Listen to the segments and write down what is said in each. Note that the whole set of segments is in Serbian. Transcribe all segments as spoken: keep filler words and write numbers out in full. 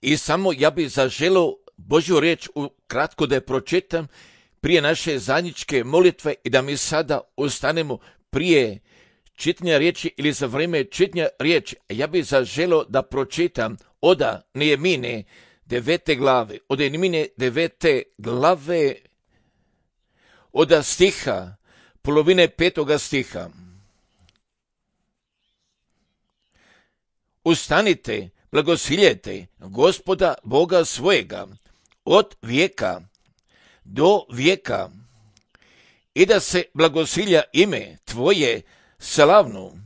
I samo ja bih zaželio Božju riječ kratko da je pročitam prije naše zajedničke molitve i da mi sada ustanemo prije čitanja riječi ili za vrijeme čitanja riječi. Ja bih zaželio da pročitam od Nehemije devete glave, od Nehemije devete glave, od stiha, polovine petoga stiha. Ustanite, blagosiljete Gospoda Boga svojega od vijeka do vijeka i da se blagosilja ime tvoje slavno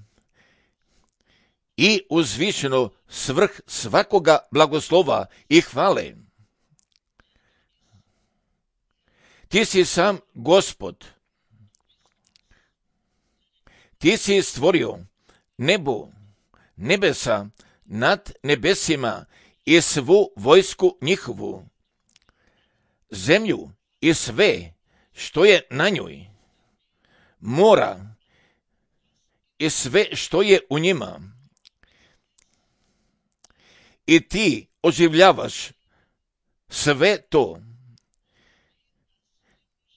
i uzvišeno svrh svakoga blagoslova i hvale. Ti si sam Gospod, ti si stvorio nebo, nebesa nad nebesima i svu vojsku njihovu, zemlju i sve što je na njoj, mora i sve što je u njima. I ti oživljavaš sve to.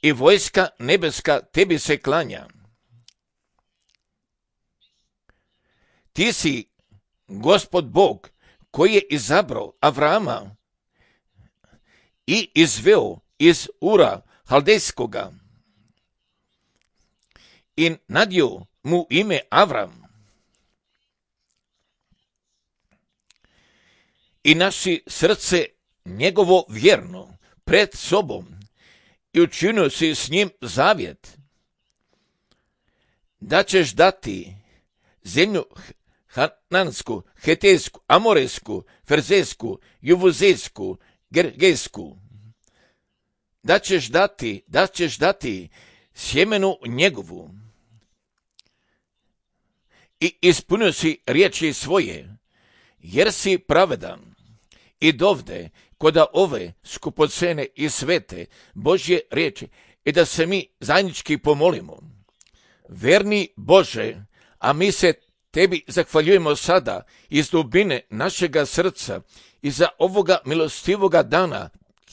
I vojska nebeska tebi se klanja. Ti si Gospod Bog koji je izabrao Avrama i izveo iz Ura Haldejskoga i nadio mu ime Avram. I naši srce njegovo vjerno pred sobom i učinio si s njim zavjet, da ćeš dati zemlju Hanansku, Hetejsku, Amorejsku, Ferzejsku, Juvuzejsku, Gergejsku, da ćeš dati, da ćeš dati sjemenu njegovu. I ispunio si riječi svoje, jer si pravedan. I dovde, koda ove skupocene i svete Božje riječi, i da se mi zajednički pomolimo. Verni Bože, a mi se tebi zahvaljujemo sada iz dubine našega srca i za ovoga milostivoga dana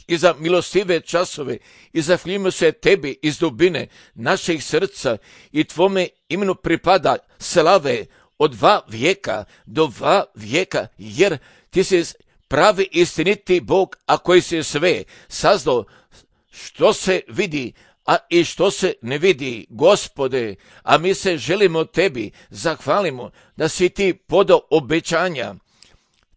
i za milostive časove i zahvaljujemo se tebi iz dubine našeg srca i tvome imenu pripada slave od dva vijeka do dva vijeka, jer ti si pravi istiniti Bog, a koji si sve sazdao što se vidi, a i što se ne vidi, Gospode, a mi se želimo tebi zahvalimo da si ti podao obećanja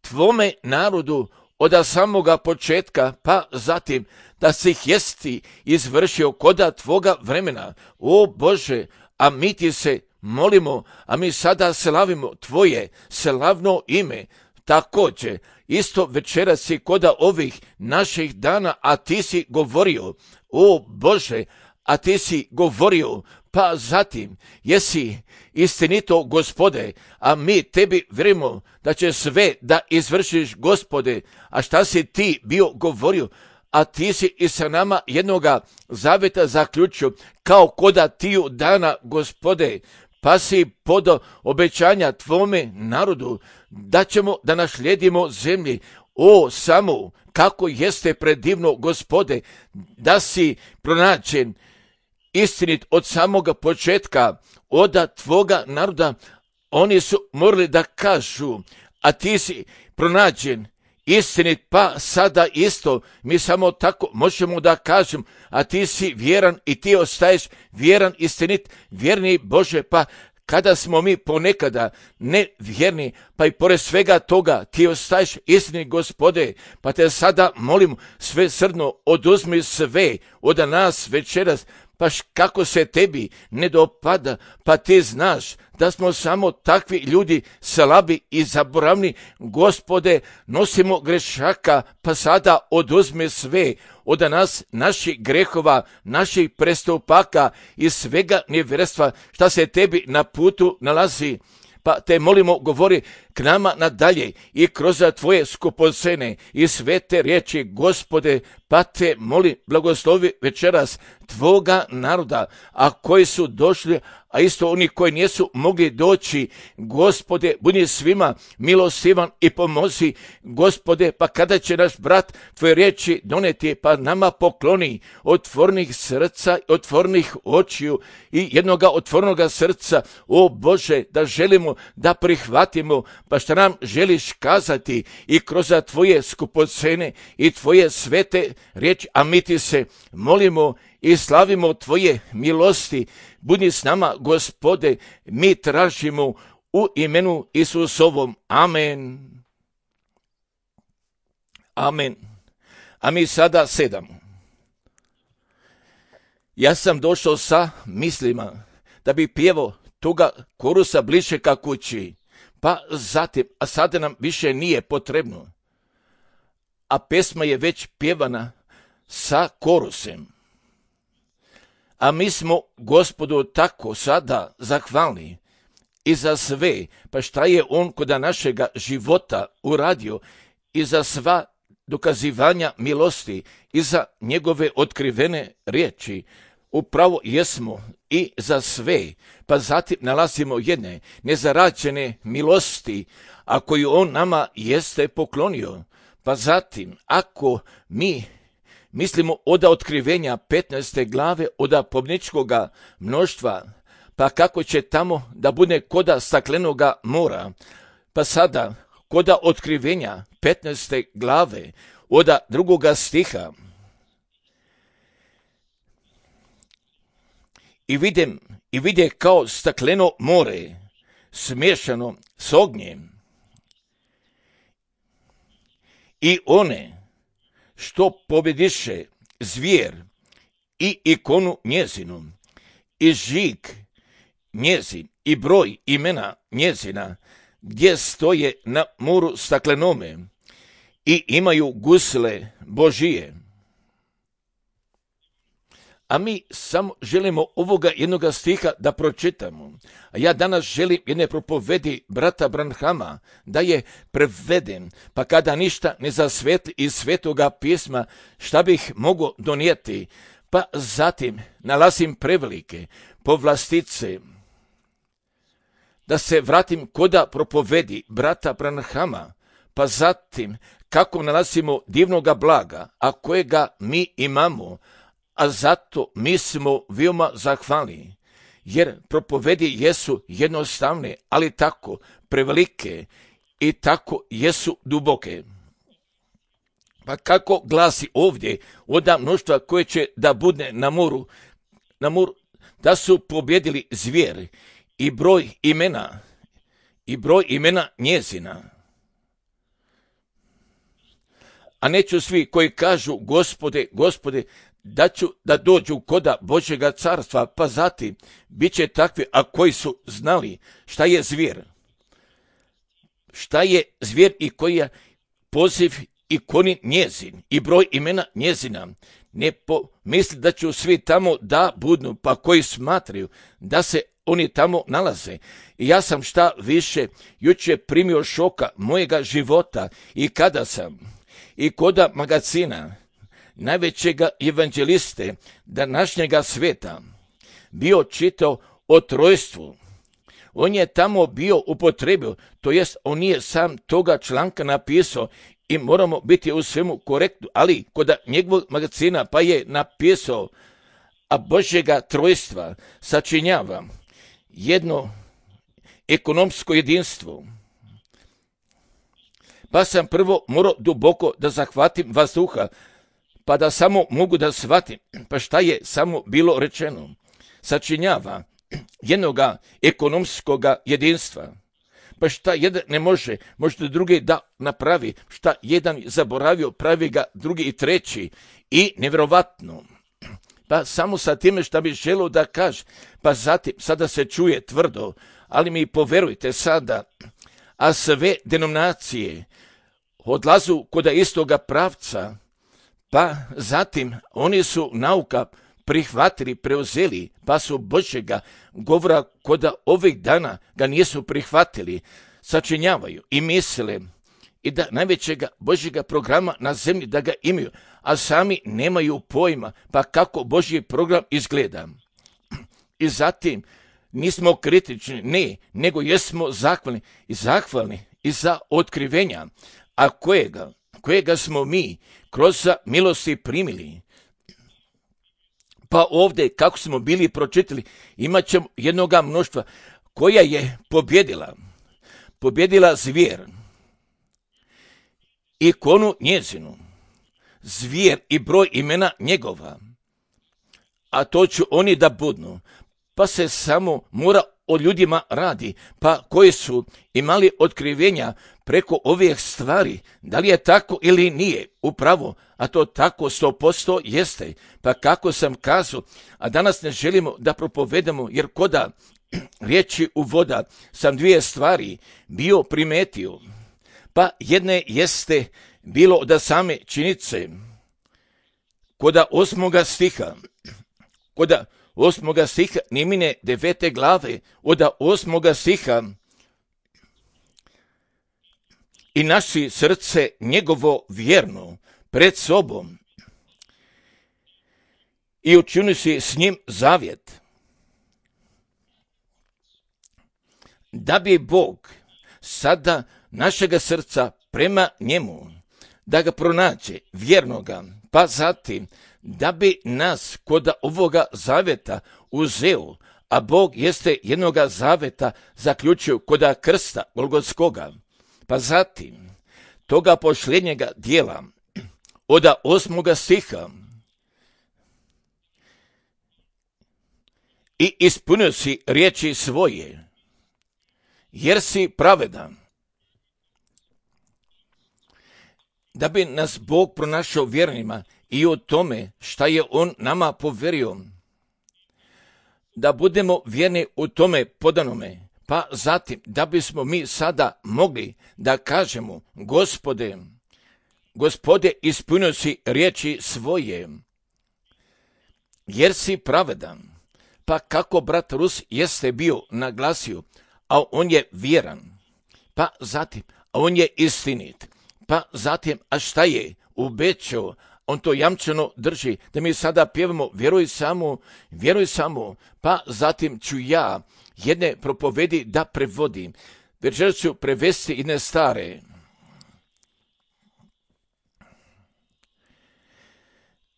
tvome narodu od samoga početka, pa zatim da si ih jesti izvršio koda tvoga vremena. O Bože, a mi ti se molimo, a mi sada slavimo tvoje slavno ime. Također, isto večeras si koda ovih naših dana, a ti si govorio, o Bože, a ti si govorio, pa zatim jesi istinito, Gospode, a mi tebi vjerujemo da će sve da izvršiš, Gospode, a šta si ti bio govorio, a ti si i sa nama jednoga zavjeta zaključio, kao koda tiju dana, Gospode, pa si podao obećanja tvome narodu, da ćemo da našlijedimo zemlji. O, samo kako jeste predivno, Gospode, da si pronađen istinit od samoga početka, od tvoga naroda. Oni su morali da kažu, a ti si pronađen istinit, pa sada isto mi samo tako možemo da kažem, a ti si vjeran i ti ostaješ vjeran, istinit, vjerni Bože, pa kada smo mi ponekada nevjerni, pa i pored svega toga ti ostaješ istinit, Gospode, pa te sada molim sve srdno, oduzmi sve od nas večeras, pa kako se tebi ne dopada, pa ti znaš da smo samo takvi ljudi slabi i zaboravni, Gospode, nosimo grešaka, pa sada oduzmi sve od nas, naših grehova, naših prestupaka i svega nevjerstva šta se tebi na putu nalazi. Pa te molimo, govori k nama nadalje i kroz tvoje skupocene i svete riječi, Gospode, pa te molim, blagoslovi večeras tvoga naroda, a koji su došli, a isto oni koji nisu mogli doći. Gospode, budi svima milostivan i pomozi. Gospode, pa kada će naš brat tvoje riječi doneti, pa nama pokloni otvornih srca, otvornih očiju i jednoga otvornoga srca. O Bože, da želimo da prihvatimo, pa šta nam želiš kazati i kroz tvoje skupocene i tvoje svete riječi, a mi ti se molimo i slavimo tvoje milosti. Budi s nama, Gospode, mi tražimo u imenu Isusovom. Amen. Amen. A mi sada sedam. Ja sam došao sa mislima da bi pjevao toga korusa bliže ka kući, pa zatim, a sada nam više nije potrebno. A pesma je već pjevana sa korusem. A mi smo Gospodu tako sada zahvalni i za sve, pa šta je on kod našega života uradio i za sva dokazivanja milosti i za njegove otkrivene riječi. Upravo jesmo i za sve, pa zatim nalazimo jedne nezarađene milosti, a koju on nama jeste poklonio. Pa zatim, ako mi mislimo od otkrivenja petnaeste glave od pobničkoga mnoštva, pa kako će tamo da bude koda staklenoga mora, pa sada koda otkrivenja petnaeste glave od drugoga stiha. I vidim, i vide kao stakleno more, smiješano s ognjem. I one što pobjediše zvijer i ikonu njezinu, i žig njezin, i broj imena njezina, gdje stoje na moru staklenome, i imaju gusle Božije. A mi samo želimo ovoga jednoga stiha da pročitamo. A ja danas želim jedne propovedi brata Branhama da je preveden, pa kada ništa ne zasvetli iz svetoga pisma, šta bih mogao donijeti, pa zatim nalazim prevelike povlastice. Da se vratim koda propovedi brata Branhama, pa zatim kako nalazimo divnoga blaga, a kojega mi imamo, a zato mi smo veoma zahvalni, jer propovedi jesu jednostavne, ali tako prevelike i tako jesu duboke. Pa kako glasi ovdje od mnoštva koje će da bude na moru, na moru, da su pobjedili zvijer i broj imena, i broj imena njezina. A neću svi koji kažu Gospode, Gospode, da ću da dođu koda Božjega carstva, pa zatim bit će takvi, a koji su znali šta je zvijer. Šta je zvijer i koji je poziv ikoni njezin i broj imena njezina. Ne pomisli da ću svi tamo da budnu, pa koji smatraju da se oni tamo nalaze. I ja sam šta više jučer primio šoka mojega života i kada sam i koda magazina najvećega evanđeliste današnjega sveta bio čitao o trojstvu. On je tamo bio upotrebio, to jest on nije sam toga članka napisao i moramo biti u svemu korektni, ali kod njegovog magazina pa je napisao, a Božjega trojstva sačinjava jedno ekonomsko jedinstvo. Pa sam prvo morao duboko da zahvatim vazduha, pa da samo mogu da shvatim, pa šta je samo bilo rečeno. Sačinjava jednoga ekonomskoga jedinstva. Pa šta jedan ne može, možda drugi da napravi, šta jedan zaboravio, pravi ga drugi i treći. I nevjerovatno. Pa samo sa time šta bi želio da kaže, pa zatim sada se čuje tvrdo, ali mi poverujte sada, a sve denominacije odlazu kod istoga pravca, pa zatim oni su nauka prihvatili, preuzeli, pa su Božjega govora kod ovih dana ga nisu prihvatili, sačinjavaju i misle i da najvećega Božjega programa na zemlji da ga imaju, a sami nemaju pojma, pa kako Božji program izgleda. I zatim nismo kritični, ne, nego jesmo zahvalni i zahvalni i za otkrivenja, a kojega, kojega smo mi kroz milosti primili. Pa ovdje, kako smo bili pročitali, imat ćemo jednoga mnoštva koja je pobjedila, pobjedila zvijer, ikonu njezinu, zvijer i broj imena njegova, a to ću oni da budnu, pa se samo mora o ljudima radi, pa koji su imali otkrivenja preko ovih stvari, da li je tako ili nije, upravo, a to tako sto posto jeste, pa kako sam kazao, a danas ne želimo da propovedamo, jer koda riječi uvoda sam dvije stvari bio primetio, pa jedne jeste bilo od same činice, koda osmoga stiha, koda osmoga stiha Nimine devete glave, od osmoga stiha i naši srce njegovo vjerno pred sobom i učini si s njim zavjet. Da bi Bog sada našega srca prema njemu, da ga pronađe vjernoga, pa zatim da bi nas kod ovoga zavjeta uzeo, a Bog jeste jednoga zavjeta zaključio kod krsta Golgotskoga, pa zatim toga posljednjega dijela od osmoga stiha i ispunio si riječi svoje, jer si pravedan. Da bi nas Bog pronašao vjernima i o tome šta je On nama poverio, da budemo vjerni u tome podanome, pa zatim da bismo mi sada mogli da kažemo, Gospode, Gospode, ispunio si riječi svoje, jer si pravedan. Pa kako brat Rus jeste bio naglasio, a on je vjeran, pa zatim, a on je istinit, pa zatim, a šta je obećao, on to jamčeno drži, da mi sada pjevamo vjeruj samo, vjeruj samo, pa zatim ću ja jedne propovedi da prevodim. Večeras ću prevesti jedne stare.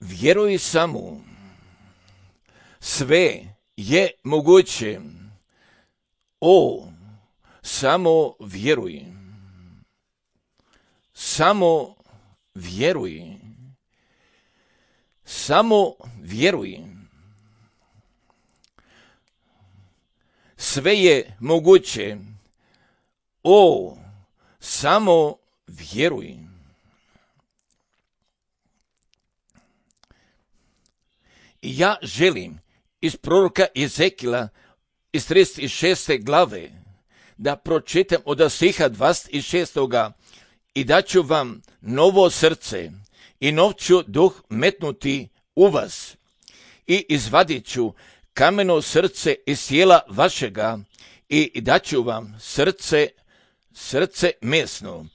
Vjeruj samo, sve je moguće, o, samo vjeruj, samo vjeruj, samo vjeruj. Sve je moguće, o, samo vjeruj. I ja želim iz proroka Ezekila iz trideset šeste glave da pročitam od stiha dvadeset šestoga i daću vam novo srce i nov ću duh metnuti u vas i izvadit ću kameno srce iz tijela vašega i daću vam srce, srce mesno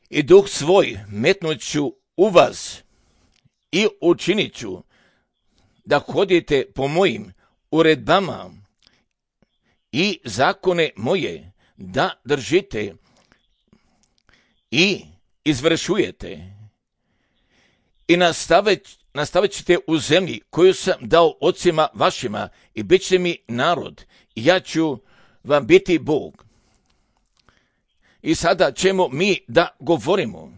i duh svoj metnut ću u vas i učinit ću da hodite po mojim uredbama i zakone moje da držite i izvršujete i nastavit, nastavit ćete u zemlji koju sam dao ocima vašima i bit ćete mi narod i ja ću vam biti Bog. I sada ćemo mi da govorimo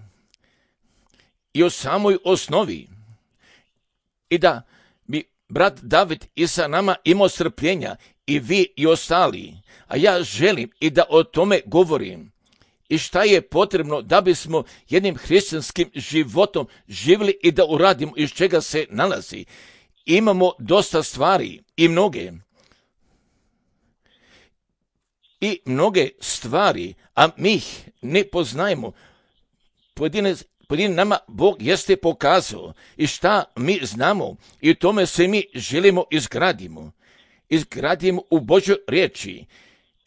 i o samoj osnovi i da bi brat David i sa nama imao strpljenja i vi i ostali, a ja želim i da o tome govorim. I šta je potrebno da bismo jednim hrišćanskim životom živjeli i da uradimo iz čega se nalazi. Imamo dosta stvari i mnoge. I mnoge stvari, a mi ih ne poznajemo. Pojedine, pojedine nama Bog jeste pokazao i šta mi znamo i u tome se mi želimo izgradimo. Izgradimo u Božoj riječi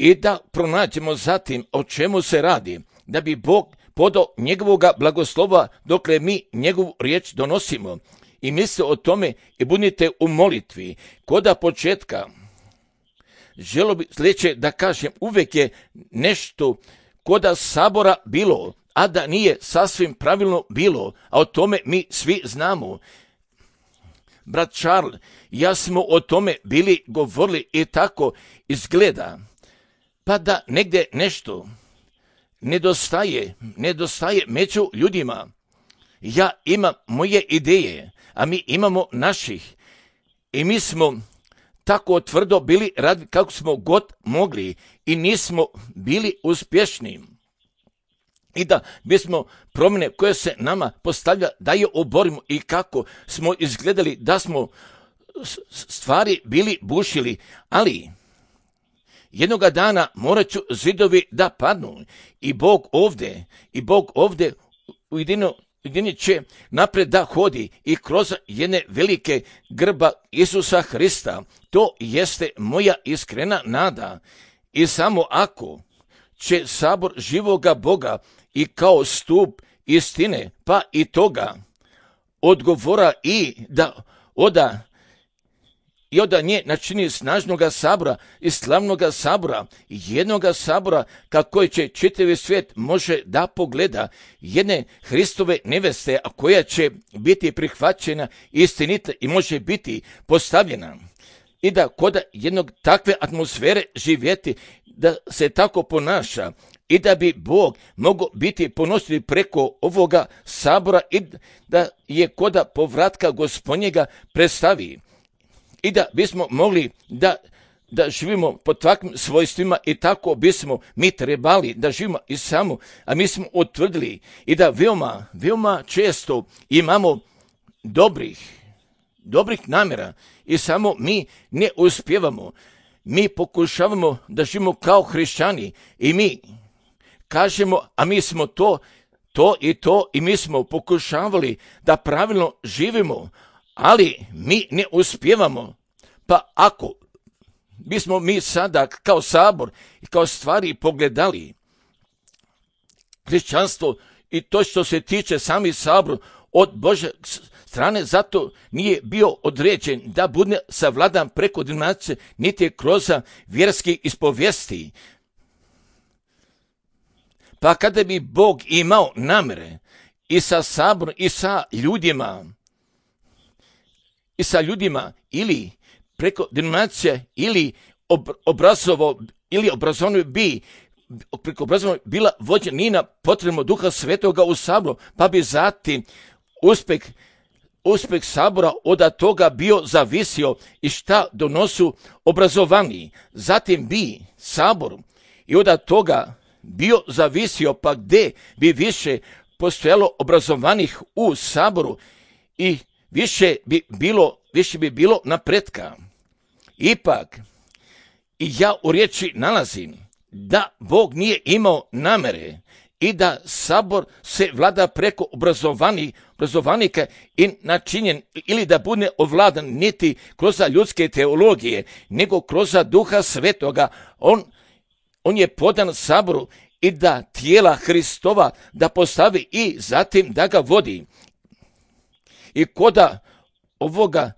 i da pronađemo zatim o čemu se radi, da bi Bog podao njegovoga blagoslova dokle mi njegovu riječ donosimo. I mislite o tome i budite u molitvi. Koda početka želo bi sljedeće da kažem, uvijek je nešto koda sabora bilo, a da nije sasvim pravilno bilo, a o tome mi svi znamo. Brat Charles, ja smo o tome bili govorili i tako izgleda. Pa da negdje nešto nedostaje, nedostaje među ljudima. Ja imam moje ideje, a mi imamo naših. I mi smo tako tvrdo bili radili kako smo god mogli i nismo bili uspješni. I da bismo promjene koje se nama postavlja da je oborimo i kako smo izgledali da smo stvari bili bušili, ali jednoga dana morat ću zidovi da padnu i Bog ovdje, i Bog ovdje ujedino Ujedinit će napred da hodi i kroz jedne velike grba Isusa Hrista. To jeste moja iskrena nada. I samo ako će sabor živoga Boga i kao stup istine, pa i toga odgovora i da oda i oda nje načini snažnoga sabora i slavnoga sabora, jednoga sabora kako će čitavi svijet može da pogleda, jedne Hristove neveste, a koja će biti prihvaćena istinita i može biti postavljena. I da kod jednog takve atmosfere živjeti, da se tako ponaša i da bi Bog mogao biti ponosljiv preko ovoga sabora i da je koda povratka Gospodnjega predstavi. I da bismo mogli da, da živimo po takvim svojstvima i tako bismo mi trebali da živimo i samo, a mi smo utvrdili i da veoma, veoma često imamo dobrih, dobrih namjera i samo mi ne uspijevamo. Mi pokušavamo da živimo kao hrišćani i mi kažemo, a mi smo to, to i to i mi smo pokušavali da pravilno živimo, ali mi ne uspijevamo. Pa ako bismo mi sada kao sabor i kao stvari pogledali hrišćanstvo i to što se tiče sami sabor od Bože strane, zato nije bio određen da bude savladan preko denominacije niti kroz vjerski ispovijesti. Pa kada bi Bog imao namjere i sa saborom i sa ljudima, i sa ljudima ili preko denominacije ili ob, obrazovo ili obrazovno bi preko obrazovno bila vođena nina potrebno Duha Svetoga u saboru, pa bi zatim uspjeh uspjeh sabora od toga bio zavisio i šta donosu obrazovani. Zatim bi sabor i od toga bio zavisio pa gdje bi više postojalo obrazovanih u saboru i više bi bilo, više bi bilo napretka. Ipak, i ja u riječi nalazim da Bog nije imao namere i da sabor se vlada preko obrazovanih, obrazovanika i načinjen ili da bude ovladan niti kroz ljudske teologije, nego kroz Duha Svetoga. On, on je podan saboru i da tijela Hristova da postavi i zatim da ga vodi. I koda ovoga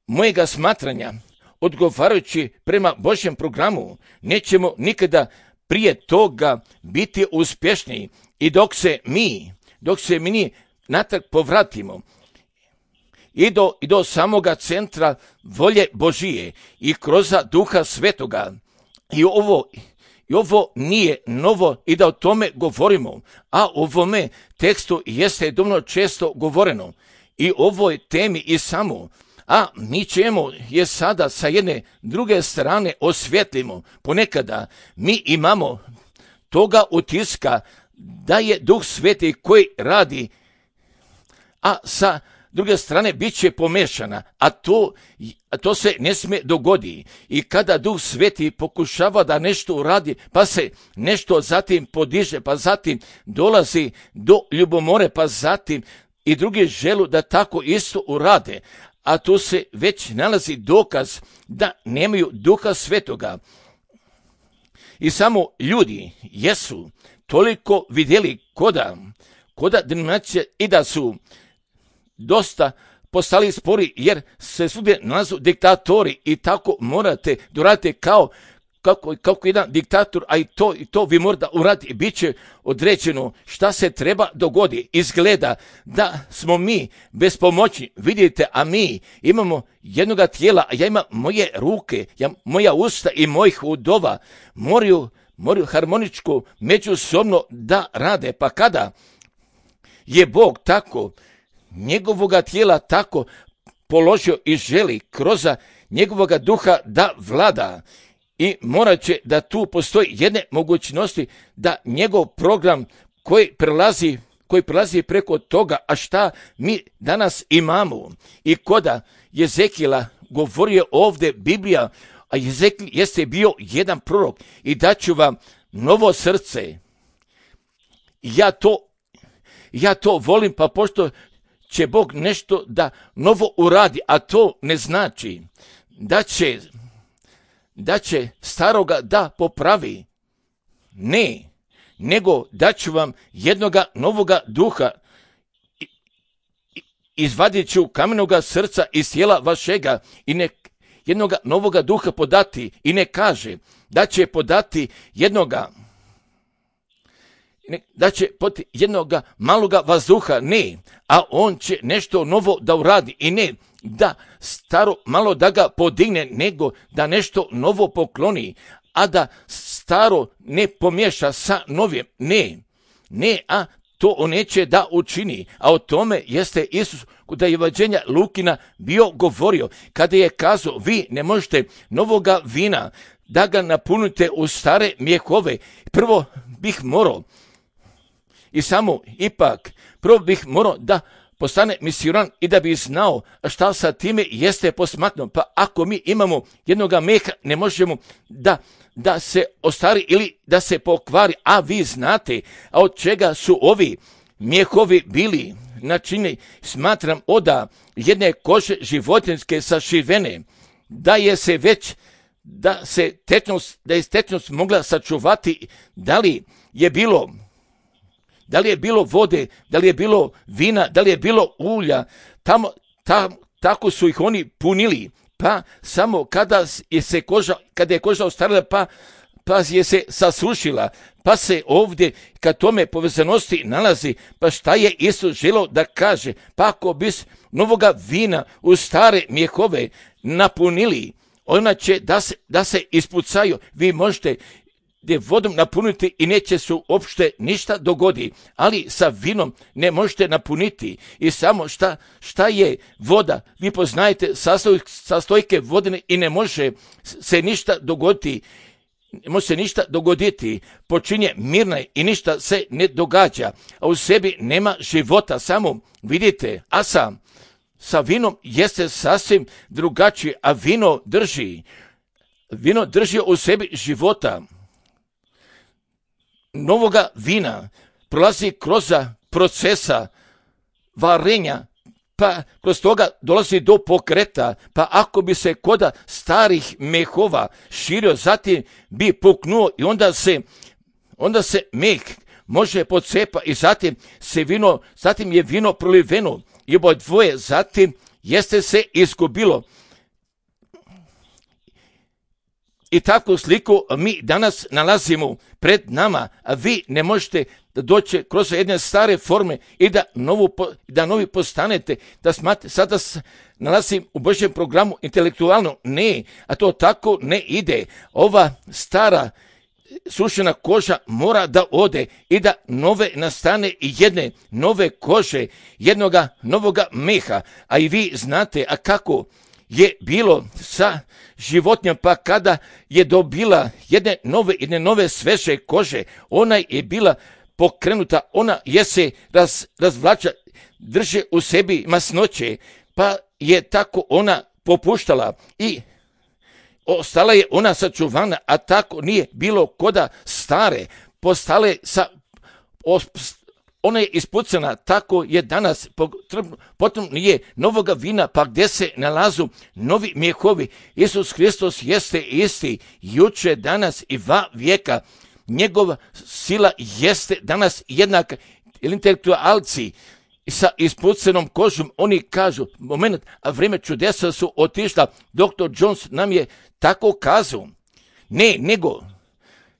mojega smatranja, odgovarajući prema Božjem programu, nećemo nikada prije toga biti uspješni i dok se mi, dok se mi natrag povratimo i do, i do samoga centra volje Božije i kroz Duha Svetoga. I ovo, i ovo nije novo i da o tome govorimo, a o ovome tekstu jeste dovoljno često govoreno i ovoj temi i samo. A mi ćemo je sada sa jedne druge strane osvjetlimo. Ponekada mi imamo toga utiska da je Duh Sveti koji radi, a sa druge strane bit će pomešana, a to, a to se ne smije dogodi. I kada Duh Sveti pokušava da nešto uradi, pa se nešto zatim podiže, pa zatim dolazi do ljubomore, pa zatim i drugi želu da tako isto urade. A tu se već nalazi dokaz da nemaju Duha Svetoga. I samo ljudi jesu toliko vidjeli koda, koda denominacije i da su dosta postali spori jer se svugdje nalazu diktatori i tako morate doraditi kao, kako, kako jedan diktator, a i to, i to vi morate uraditi i bit će određeno šta se treba dogodi. Izgleda da smo mi bez pomoći, vidite, a mi imamo jednoga tijela, a ja imam moje ruke, ja, moja usta i mojih udova moraju, moraju harmoničko međusobno da rade. Pa kada je Bog tako njegovoga tijela tako položio i želi kroz njegovoga duha da vlada, i morat će da tu postoji jedne mogućnosti da njegov program koji prelazi, koji prelazi preko toga, a šta mi danas imamo. I koda Jezekijela govorio ovdje Biblija, a Jezekijel jeste bio jedan prorok, i daću vam novo srce. Ja to, ja to volim, pa pošto će Bog nešto da novo uradi, a to ne znači da će, da će staroga da popravi. Ne, nego da ću vam jednoga novoga duha, izvadit ću kamenoga srca iz tijela vašega i ne, jednoga novoga duha podati, i ne kaže da će podati jednoga da će pod jednoga maloga vazduha, ne, a on će nešto novo da uradi, i ne da staro malo da ga podigne, nego da nešto novo pokloni, a da staro ne pomješa sa novim, ne, ne, a to on neće da učini. A o tome jeste Isus kod evanđelja Lukina bio govorio, kada je kazao, vi ne možete novoga vina da ga napunite u stare mjehove. Prvo bih morao, i samo ipak, prvo bih morao da postane misionan i da bi znao šta sa time jeste posmatno. Pa ako mi imamo jednoga meha, ne možemo da, da se ostari ili da se pokvari, a vi znate, a od čega su ovi mjehovi bili načinjeni, smatram oda jedne kože životinjske sašivene, da je se već, da se tečnost, da je tečnost mogla sačuvati, da li je bilo Da li je bilo vode, da li je bilo vina, da li je bilo ulja, tamo, tam, tako su ih oni punili, pa samo kada je se koža, kada je koža ostarila, pa, pa je se sasušila, pa se ovdje kad tome povezanosti nalazi, pa šta je Isus želio da kaže, pa ako bis novoga vina u stare mjehove napunili, ona će da se, da se ispucaju, vi možete gdje vodom napuniti i neće se uopšte ništa dogodi, ali sa vinom ne možete napuniti. I samo šta, šta je voda, vi poznajete sastoj, sastojke vodene i ne može se ništa dogoditi, ne može se ništa dogoditi, počinje mirna i ništa se ne događa, a u sebi nema života, samo vidite, a sam sa vinom jeste sasvim drugačije, a vino drži, vino drži u sebi života. Novoga vina prolazi kroz procesa varenja, pa kroz toga dolazi do pokreta, pa ako bi se koda starih mehova širio, zatim bi puknuo i onda se, onda se meh može pocepa i zatim se vino, zatim je vino proliveno i oboje dvoje, zatim jeste se izgubilo. I takvu sliku mi danas nalazimo pred nama, a vi ne možete da doći kroz jedne stare forme i da, novu, da novi postanete, da smate, sada se nalazim u Božjem programu intelektualno, ne, a to tako ne ide. Ova stara sušena koža mora da ode i da nove nastane i jedne nove kože, jednoga novoga meha, a i vi znate, a kako je bilo sa životinjom, pa kada je dobila jedne nove, jedne nove sveže kože, ona je bila pokrenuta, ona je se raz, razvlača, drže u sebi masnoće, pa je tako ona popuštala i ostala je ona sačuvana, a tako nije bilo koda stare, postale sa, ona je ispucana, tako je danas, potom je novoga vina, pa gdje se nalazu novi mjehovi. Isus Hristos jeste isti, juče, danas i va vijeka, njegova sila jeste danas jednaka. Intelektualci sa ispucanom kožom, oni kažu, moment, a vrijeme čudesa su otišla, doktor Jones nam je tako kazao, Ne, nego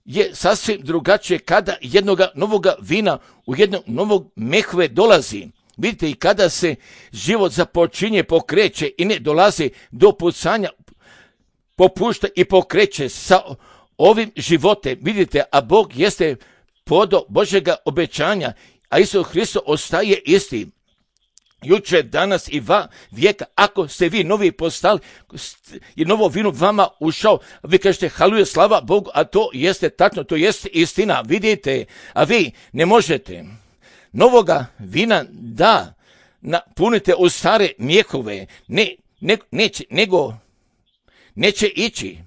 je sasvim drugačije kada jednoga novoga vina u jednog novog mehve dolazi. Vidite, i kada se život započinje, pokreće i ne dolazi do pucanja, popušta i pokreće sa ovim životem. Vidite, a Bog jeste podo Božjega obećanja, a Isus Hristos ostaje isti. Juče, danas i va vijeka, ako ste vi novi postali i novo vino vama ušao, vi kažete haluje, slava Bogu, a to jeste tačno, to jeste istina, vidite, a vi ne možete novoga vina da napunite u stare mjehove, ne, ne, neće, nego neće ići.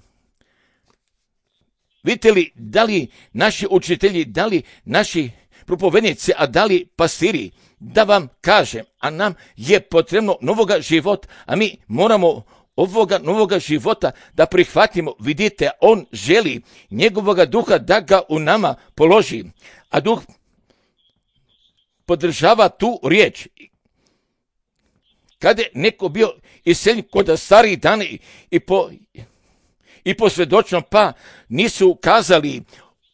Vidite li, da li naši učitelji, da li naši propovednici, a da li pastiri, da vam kažem, a nam je potrebno novoga života, a mi moramo ovoga novoga života da prihvatimo. Vidite, on želi njegovoga duha da ga u nama položi, a duh podržava tu riječ. Kada je neko bio iseljen kod starih dana i po, i po svjedočnom, pa nisu kazali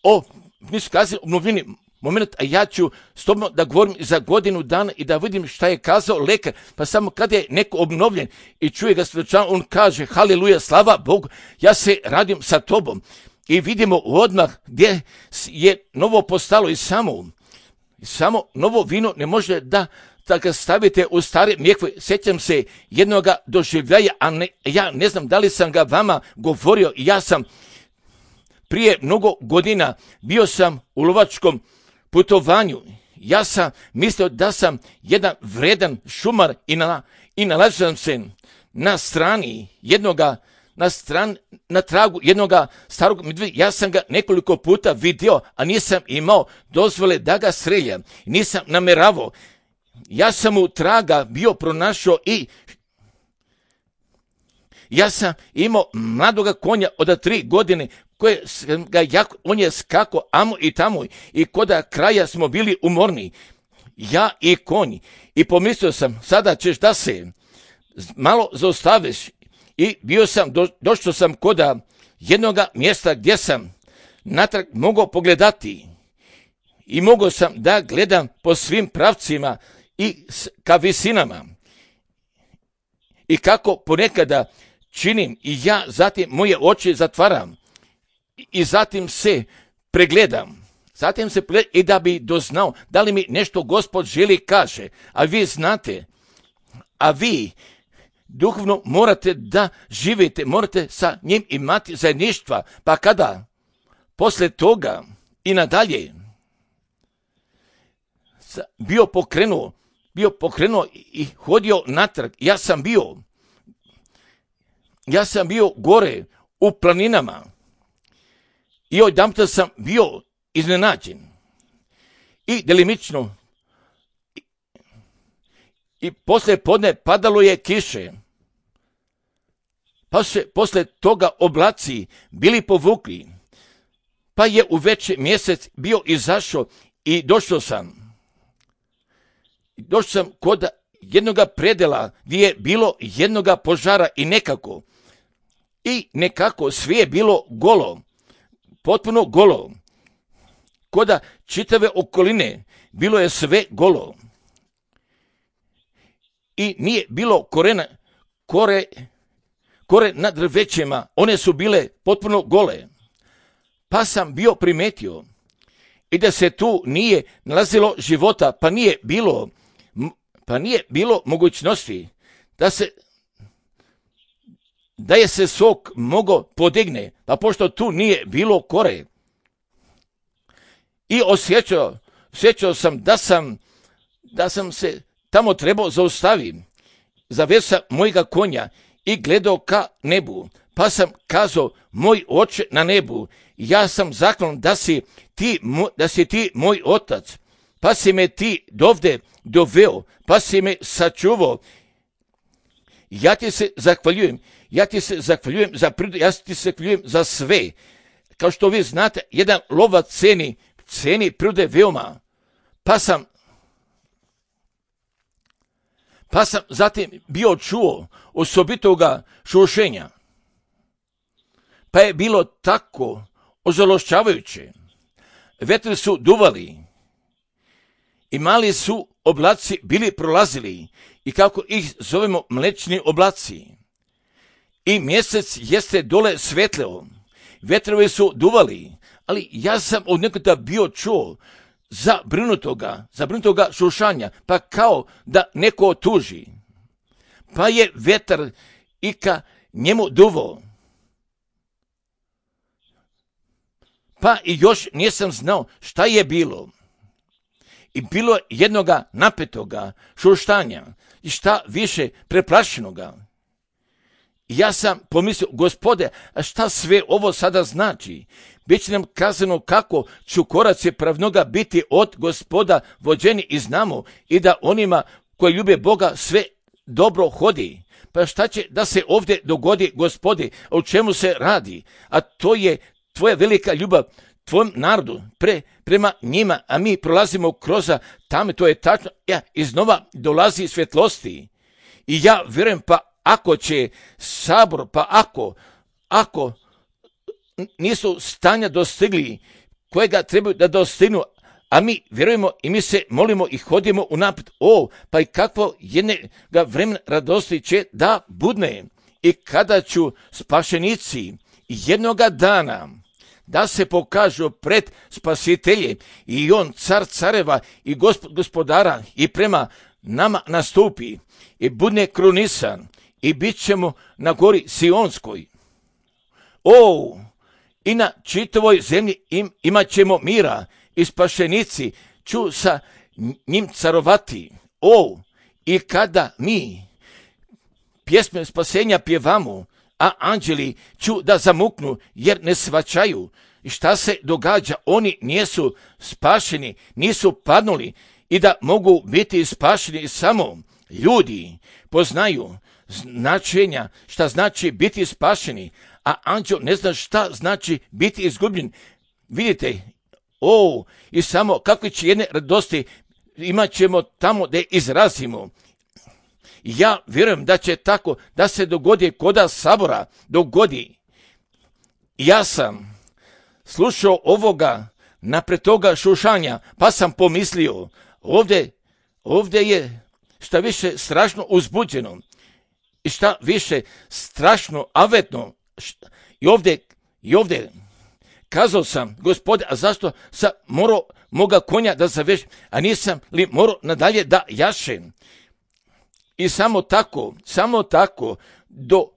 o, nisu kazali obnovljeni moment, a ja ću s tobom da govorim za godinu dana i da vidim šta je kazao lekar, pa samo kada je neko obnovljen i čuje ga svjedočan, on kaže haleluja, slava Bogu, ja se radim sa tobom. I vidimo odmah gdje je novo postalo i samo, samo novo vino ne može da da ga stavite u stare mjehve. Sjećam se jednoga doživljaja, a ne, ja ne znam da li sam ga vama govorio, ja sam prije mnogo godina bio sam u lovačkom putovanju. Ja sam mislio da sam jedan vredan šumar i, na, i nalazio sam se na strani jednoga, na, stran, na tragu jednoga starog medvjeda. Ja sam ga nekoliko puta vidio, a nisam imao dozvole da ga streljam. Nisam nameravao. Ja sam mu traga bio pronašao i ja sam imao mladoga konja od tri godine, koje ga jako, on je skako amo i tamo i koda kraja smo bili umorni, ja i konj. I pomislio sam, sada ćeš da se malo zaustaviš. I bio sam, do, došao sam koda jednoga mjesta gdje sam natrag mogao pogledati i mogao sam da gledam po svim pravcima i ka visinama. I kako ponekada činim i ja zatim moje oči zatvaram i zatim se pregledam. Zatim se pregledam i da bi doznao da li mi nešto Gospod želi kaže. A vi znate, a vi duhovno morate da živite, morate sa njim imati zajedništva. Pa kada posle toga i nadalje bio pokrenuo, bio pokrenuo i hodio natrag, ja sam bio, ja sam bio gore u planinama i odjedanput sam bio iznenađen i delimično i, i posle podne padalo je kiše, pa se posle toga oblaci bili povukli, pa je u veći mjesec bio izašao i došao sam. Došao sam kod jednoga predela gdje je bilo jednoga požara i nekako, i nekako sve je bilo golo, potpuno golo. Koda čitave okoline bilo je sve golo. I nije bilo korena, kore, kore na drvećima, one su bile potpuno gole. Pa sam bio primetio i da se tu nije nalazilo života, pa nije bilo pa nije bilo mogućnosti da se da je se sok mogao podigne, pa pošto tu nije bilo kore. I osjećao, osjećao sam da sam da sam se tamo trebao zaustaviti. Zaveo sam mojega konja i gledao ka nebu, pa sam kazao, moj oče na nebu, ja sam zaklan da si ti, da si ti moj otac, pa si me ti dovde doveo, pa si me sačuvao. Ja ti se zahvaljujem, ja ti se zahvaljujem za prirodu, ja ti se zahvaljujem za sve. Kao što vi znate, jedan lovac ceni, ceni prirode veoma. Pa sam, pa sam zatim bio čuo osobitoga šušenja. pa je bilo tako ožalošćavajuće. Vetri su duvali i mali su oblaci bili prolazili i kako ih zovemo mlečni oblaci. I mjesec jeste dole svetleo. Vetrovi su duvali, ali ja sam od nekoga bio čuo zabrinutoga, zabrinutoga šušanja, pa kao da neko tuži. Pa je vetar i ka njemu duvo. Pa i još nisam znao šta je bilo. I bilo je jednoga napetoga šuštanja i šta više preplašenoga. Ja sam pomislio, Gospode, a šta sve ovo sada znači? Biće nam kazano kako ću koraci pravnoga biti od Gospoda vođeni i znamo i da onima koji ljube Boga sve dobro hodi. Pa šta će da se ovdje dogodi, Gospode, o čemu se radi? A to je tvoja velika ljubav tvojom narodu pre, prema njima, a mi prolazimo kroz tamo, to je tačno, ja, iznova dolazi svjetlosti. I ja vjerujem, pa ako će sabor, pa ako, ako nisu stanja dostigli kojega trebaju da dostignu, a mi vjerujemo i mi se molimo i hodimo unaprijed. O, pa i kakvo jednega vremena radosti će da budne. I kada ću spašenici jednoga dana da se pokažu pred spasiteljem i on car careva i gospod gospodara i prema nama nastupi i budne krunisan i bit ćemo na gori Sionskoj. O, i na čitavoj zemlji im, imat ćemo mira i spašenici ću sa njim carovati. O, i kada mi pjesme spasenja pjevamo, a anđeli ću da zamuknu jer ne svačaju šta se događa. Oni nisu spašeni, nisu padnuli i da mogu biti spašeni samo ljudi poznaju značenja šta znači biti spašeni, a anđel ne zna šta znači biti izgubljen. Vidite, o, i samo kakve će jedne radosti imat ćemo tamo da izrazimo. Ja vjerujem da će tako da se dogodi koda sabora dogodi. Ja sam slušao ovoga napred toga šušanja, pa sam pomislio, ovdje, ovdje je šta više strašno uzbuđeno i šta više strašno avetno. I ovdje, i ovdje kazao sam, Gospode, a zašto sam morao moga konja da zavežem, a nisam li morao nadalje da jašem? I samo tako, samo tako, do,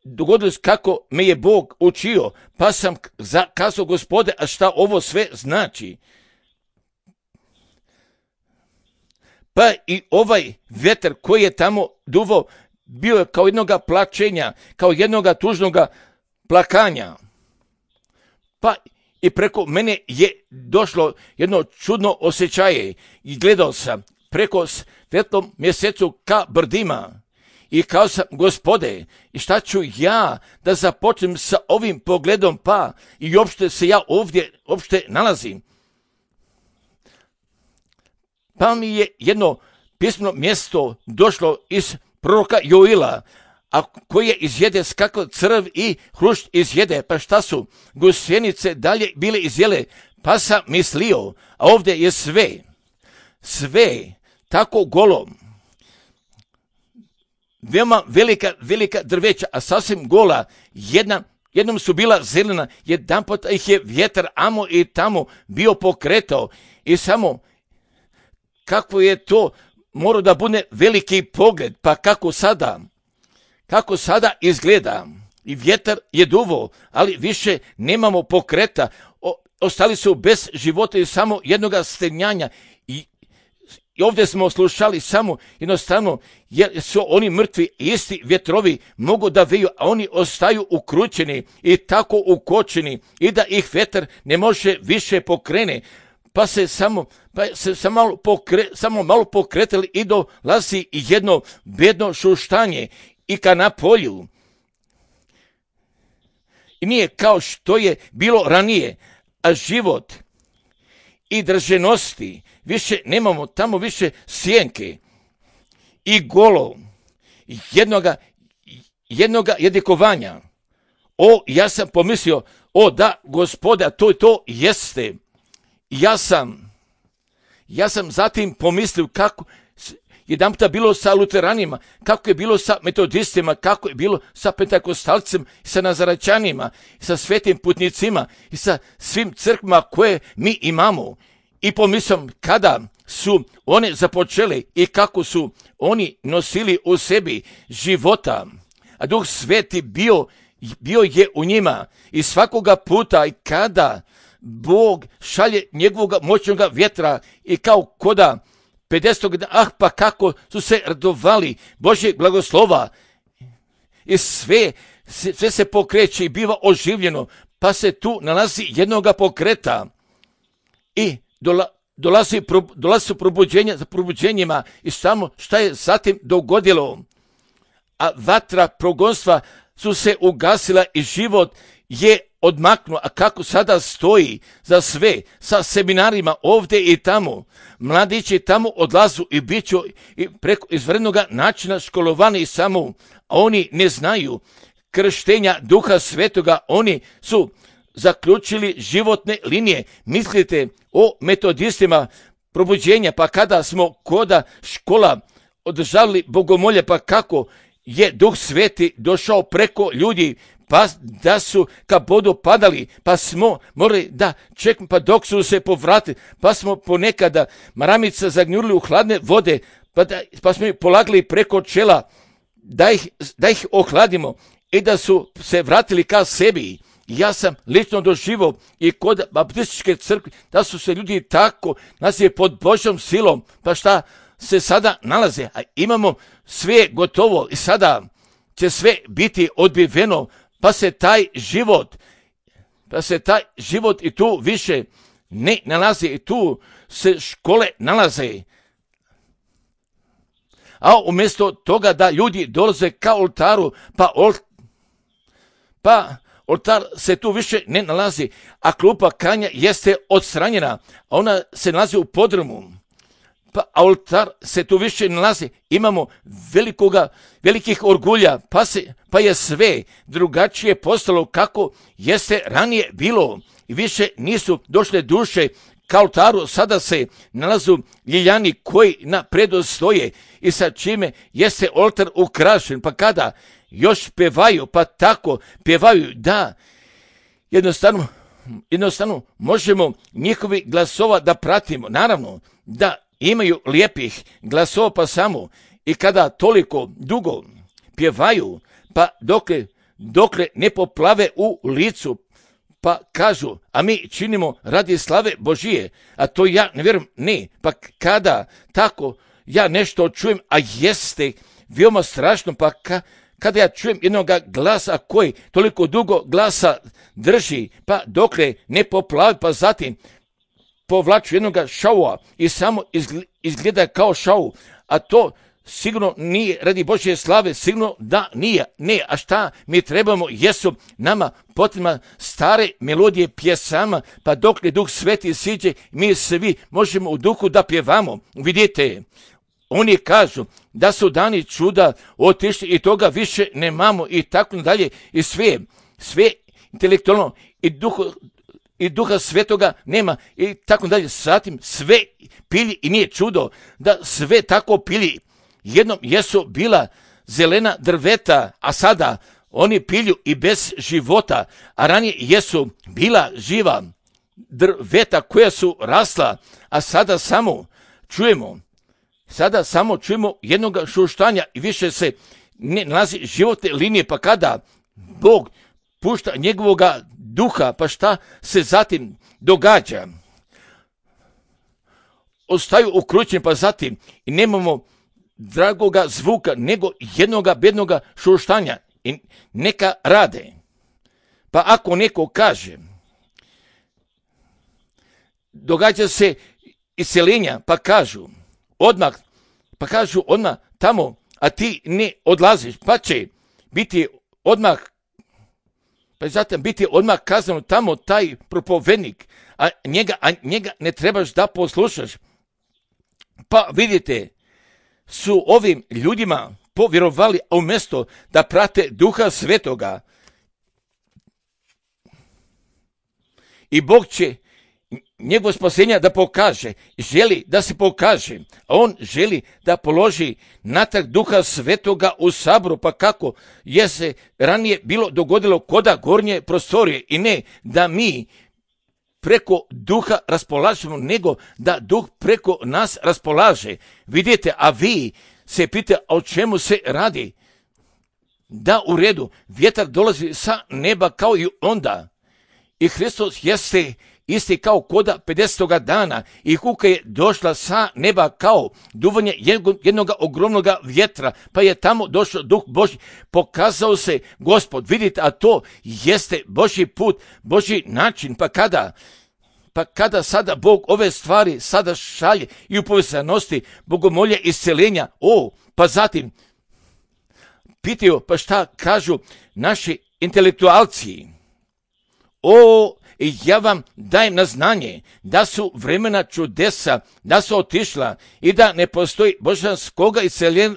dogodilo se kako me je Bog učio, pa sam kazao, Gospode, a šta ovo sve znači? Pa i ovaj vetar koji je tamo duvao, bio je kao jednoga plačenja, kao jednoga tužnoga plakanja. Pa i preko mene je došlo jedno čudno osjećaje i gledao sam preko svetlom mjesecu ka brdima i kao sam, Gospode, i šta ću ja da započnem sa ovim pogledom, pa i uopšte se ja ovdje uopšte nalazim. Pa mi je jedno pismeno mjesto došlo iz proroka Joila, a koje izjede skako crv i hrušt izjede, pa šta su gusjenice dalje bile izjele, pa sam mislio, a ovdje je sve, sve tako golo, veoma velika, velika drveća, a sasvim gola, jedna, jednom su bila zelena, jedan pot ih je vjetar amo i tamo bio pokretao i samo kako je to mora da bude veliki pogled, pa kako sada, kako sada izgleda i vjetar je duvo, ali više nemamo pokreta, o, ostali su bez života i samo jednoga stenjanja i, i ovdje smo slušali samo jednostavno jer su oni mrtvi, isti vjetrovi mogu da veju, a oni ostaju ukrućeni i tako ukočeni i da ih vjetar ne može više pokrene. Pa se samo, pa se samo malo, pokre, samo malo pokretali i dolazi jedno bedno šuštanje i ka na polju. I nije kao što je bilo ranije, a život i drženosti, više nemamo tamo više sjenke i golo jednoga, jednoga jedikovanja. O, ja sam pomislio, o da, Gospoda, to i to jeste. Ja sam, ja sam zatim pomislio kako jedan puta bilo sa luteranima, kako je bilo sa metodistima, kako je bilo sa pentakostalcima, sa nazaračanima, sa svetim putnicima i sa svim crkvama koje mi imamo. I pomislim kada su one započele i kako su oni nosili u sebi života, a Duh Sveti bio, bio je u njima i svakoga puta i kada Bog šalje njegovog moćnog vjetra i kao koda pedesetog dana, ah pa kako su se radovali Božjeg blagoslova i sve, sve se pokreće i biva oživljeno, pa se tu nalazi jednoga pokreta i dola, dolazi, dolazi su probuđenja za probuđenjima i samo šta je zatim dogodilo, a vatra progonstva su se ugasila i život je odmaknuo, a kako sada stoji za sve sa seminarima ovdje i tamo. Mladići tamo odlazu i bit ću i preko izvrednog načina školovani i samo, a oni ne znaju krštenja Duha Svetoga, oni su zaključili životne linije. Mislite o metodistima probuđenja, pa kada smo koda škola održavali bogomolje, pa kako je Duh Sveti došao preko ljudi, pa da su ka bodu padali, pa smo morali da čekamo, pa dok su se povratili, pa smo ponekada maramica zagnjurili u hladne vode, pa, da, pa smo ih polagali preko čela, da ih, da ih ohladimo i da su se vratili ka sebi. Ja sam lično doživio i kod baptističke crkve da su se ljudi tako nazivali pod Božjom silom, pa šta se sada nalaze, a imamo sve gotovo i sada će sve biti odbiveno, pa se taj život, pa se taj život i tu više ne nalazi i tu se škole nalaze. A umjesto toga da ljudi dolaze ka oltaru, pa, ol, pa oltar se tu više ne nalazi, a klupa kanja jeste odstranjena, a ona se nalazi u podrumu. Pa oltar se tu više nalazi, imamo velikoga, velikih orgulja, pa, se, pa je sve drugačije postalo kako jeste ranije bilo. I više nisu došle duše ka oltaru, sada se nalazu ljiljani koji na predu stoje i sa čime jeste oltar ukrašen, pa kada još pevaju, pa tako pevaju da jednostavno, jednostavno možemo njihovi glasova da pratimo, naravno da imaju lijepih glasova, pa samo i kada toliko dugo pjevaju, pa dokle, dokle ne poplave u licu, pa kažu, a mi činimo radi slave Božije, a to ja ne vjerujem, ne, pa kada tako ja nešto čujem, a jeste veoma strašno, pa ka, kada ja čujem jednog glasa koji toliko dugo glasa drži, pa dokle ne poplavi, pa zatim povlaču jednog šaua i samo izgleda kao šau, a to sigurno nije radi Božje slave, sigurno da nije. Ne, a šta mi trebamo, jesu nama potrebna stare melodije pjesama, pa dok ne Duh Sveti siđe, mi svi možemo u duhu da pjevamo. Vidite, oni kažu da su dani čuda otišli i toga više nemamo i tako dalje i sve, sve intelektualno i duho, i Duha Svetoga nema i tako dalje. Zatim sve pili i nije čudo da sve tako pili. Jednom jesu bila zelena drveta, a sada oni pilju i bez života, a ranije jesu bila živa drveta koja su rasla, a sada samo čujemo, sada samo čujemo jednog šuštanja i više se ne nalazi životne linije, pa kada Bog pušta njegovoga duha, pa šta se zatim događa? Ostaju ukrućeni, pa zatim i nemamo dragoga zvuka, nego jednoga bednoga šuštanja i neka rade. Pa ako neko kaže, događa se iseljenja, pa kažu odmah, pa kažu odmah tamo, a ti ne odlaziš, pa će biti odmah, pa zatim biti odmah kazano tamo taj propovednik, a njega, a njega ne trebaš da poslušaš. Pa vidite, su ovim ljudima povjerovali, a umjesto da prate Duha Svetoga, i Bog će njegovo spasenja da pokaže, želi da se pokaže, a on želi da položi natrag Duha Svetoga u saboru, pa kako je se ranije bilo dogodilo koda gornje prostorije, i ne da mi preko Duha raspolažemo, nego da Duh preko nas raspolaže. Vidite, a vi se pita o čemu se radi. Da, u redu, vjetar dolazi sa neba kao i onda, i Hristos jeste isti kao koda pedesetoga dana, i kuka je došla sa neba kao duvanje jednog ogromnog vjetra, pa je tamo došao Duh Božji, pokazao se Gospod. Vidite, a to jeste Božji put, Božji način. Pa kada? Pa kada sada Bog ove stvari sada šalje i u povezanosti bogomolja isceljenja, o, pa zatim pitaju, pa šta kažu naši intelektualci? O, i ja vam dajem na znanje da su vremena čudesa, da su otišla i da ne postoji božanskoga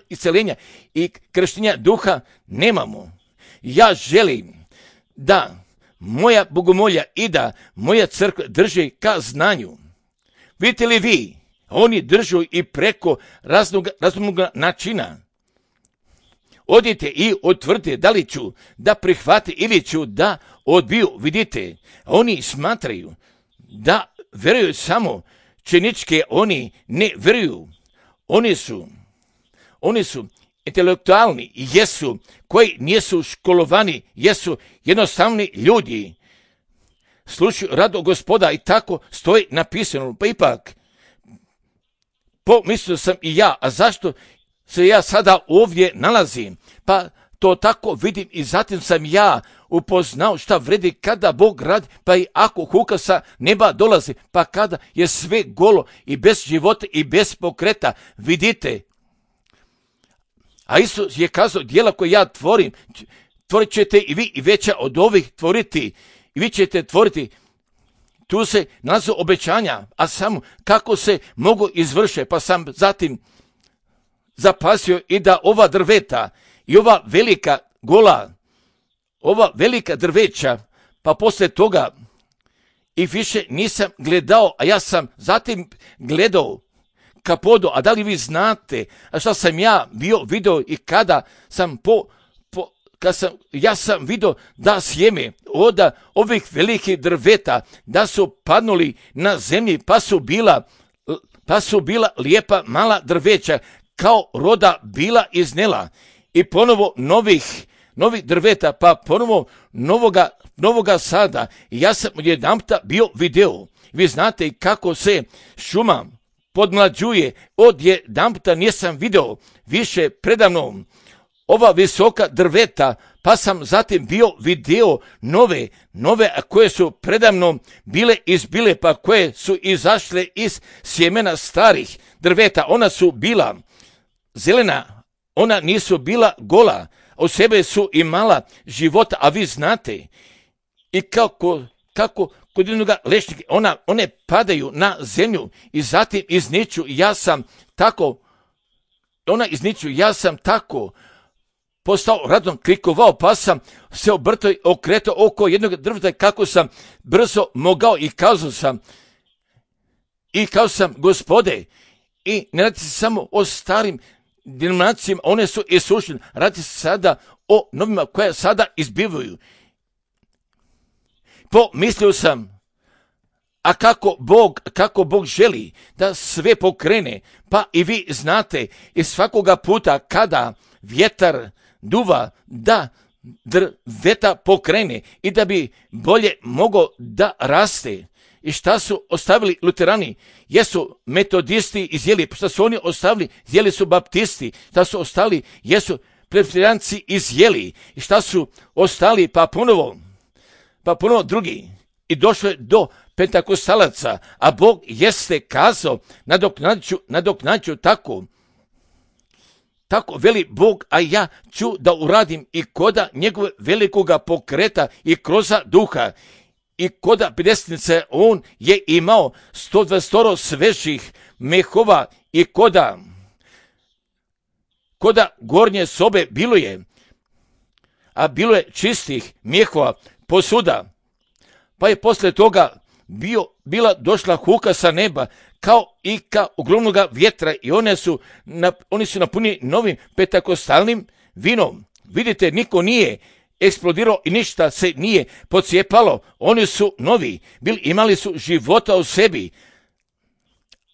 isceljenja i krštenja duha nemamo. Ja želim da moja bogomolja i da moja crkva drži ka znanju. Vidite li vi, oni držu i preko raznog, raznog načina. Odite i otvrdite da li ću da prihvati ili ću da odbiju. Vidite, oni smatraju da veruju samo činičke, oni ne veruju. Oni su, oni su intelektualni, jesu, koji nisu školovani, jesu jednostavni ljudi. Slušaju rado Gospoda i tako stoji napisano. Pa ipak, pomislio sam i ja, a zašto se ja sada ovdje nalazim? Pa to tako vidim i zatim sam ja upoznao šta vredi kada Bog radi, pa i ako huka sa neba dolazi, pa kada je sve golo i bez života i bez pokreta. Vidite, a Isus je kazao, djela koje ja tvorim, tvorit ćete i vi i veća od ovih tvoriti, i vi ćete tvoriti. Tu se nalaze obećanja, a samo kako se mogu izvrše, pa sam zatim zapasio i da ova drveta i ova velika gola, ova velika drveća, pa poslije toga i više nisam gledao, a ja sam zatim gledao ka podu. A da li vi znate, a šta sam ja bio video i kada sam po, po kad sam, ja sam vidio da sjeme od ovih velikih drveta, da su padnuli na zemlji, pa su bila, pa su bila lijepa mala drveća, kao roda bila iznela, i ponovo novih, novih drveta, pa ponovo novoga, novoga sada. I ja sam odjedanputa bio video. Vi znate kako se šuma podmlađuje, odjedanputa nisam video više predavno ova visoka drveta, pa sam zatim bio video nove, nove koje su predavno bile izbile, pa koje su izašle iz sjemena starih drveta. Ona su bila zelena, ona nisu bila gola, u sebe su imala života, a vi znate i kako, kako kod jednoga lešnika, ona, one padaju na zemlju i zatim izniču. Ja sam tako, ona izniču, ja sam tako postao radom klikovao, pa sam se obrtao i okretao oko jednog drveta kako sam brzo mogao, i kazao sam, i kazao sam, Gospode, i ne radi se samo o starim denominacijama, one su isušene, radi se sada o novima koje sada izbivaju. Pomislio sam, a kako Bog, kako Bog želi da sve pokrene, pa i vi znate, i svakoga puta kada vjetar duva, da drveta pokrene i da bi bolje mogao da raste. I šta su ostavili luterani? Jesu metodisti izjeli. Šta su oni ostavili? Izjeli su baptisti. Šta su ostali? Jesu presbiteranci izjeli. I šta su ostali? Pa ponovo, pa ponovo drugi. I došlo je do pentakostalaca, a Bog jeste kazao, nadoknađu, nadoknađu tako. Tako veli Bog, a ja ću da uradim i koda njegove velikoga pokreta i kroza duha. I koda pedesetnice on je imao sto dvadeset svežih mehova, i koda, koda gornje sobe bilo je, a bilo je čistih mehova posuda. Pa je posle toga bio, bila došla huka sa neba, kao i ka ogromnog vjetra, i one su, na, oni su napuni novim pentakostalnim vinom. Vidite, niko nije eksplodirao i ništa se nije pocijepalo. Oni su novi, bili, imali su života u sebi.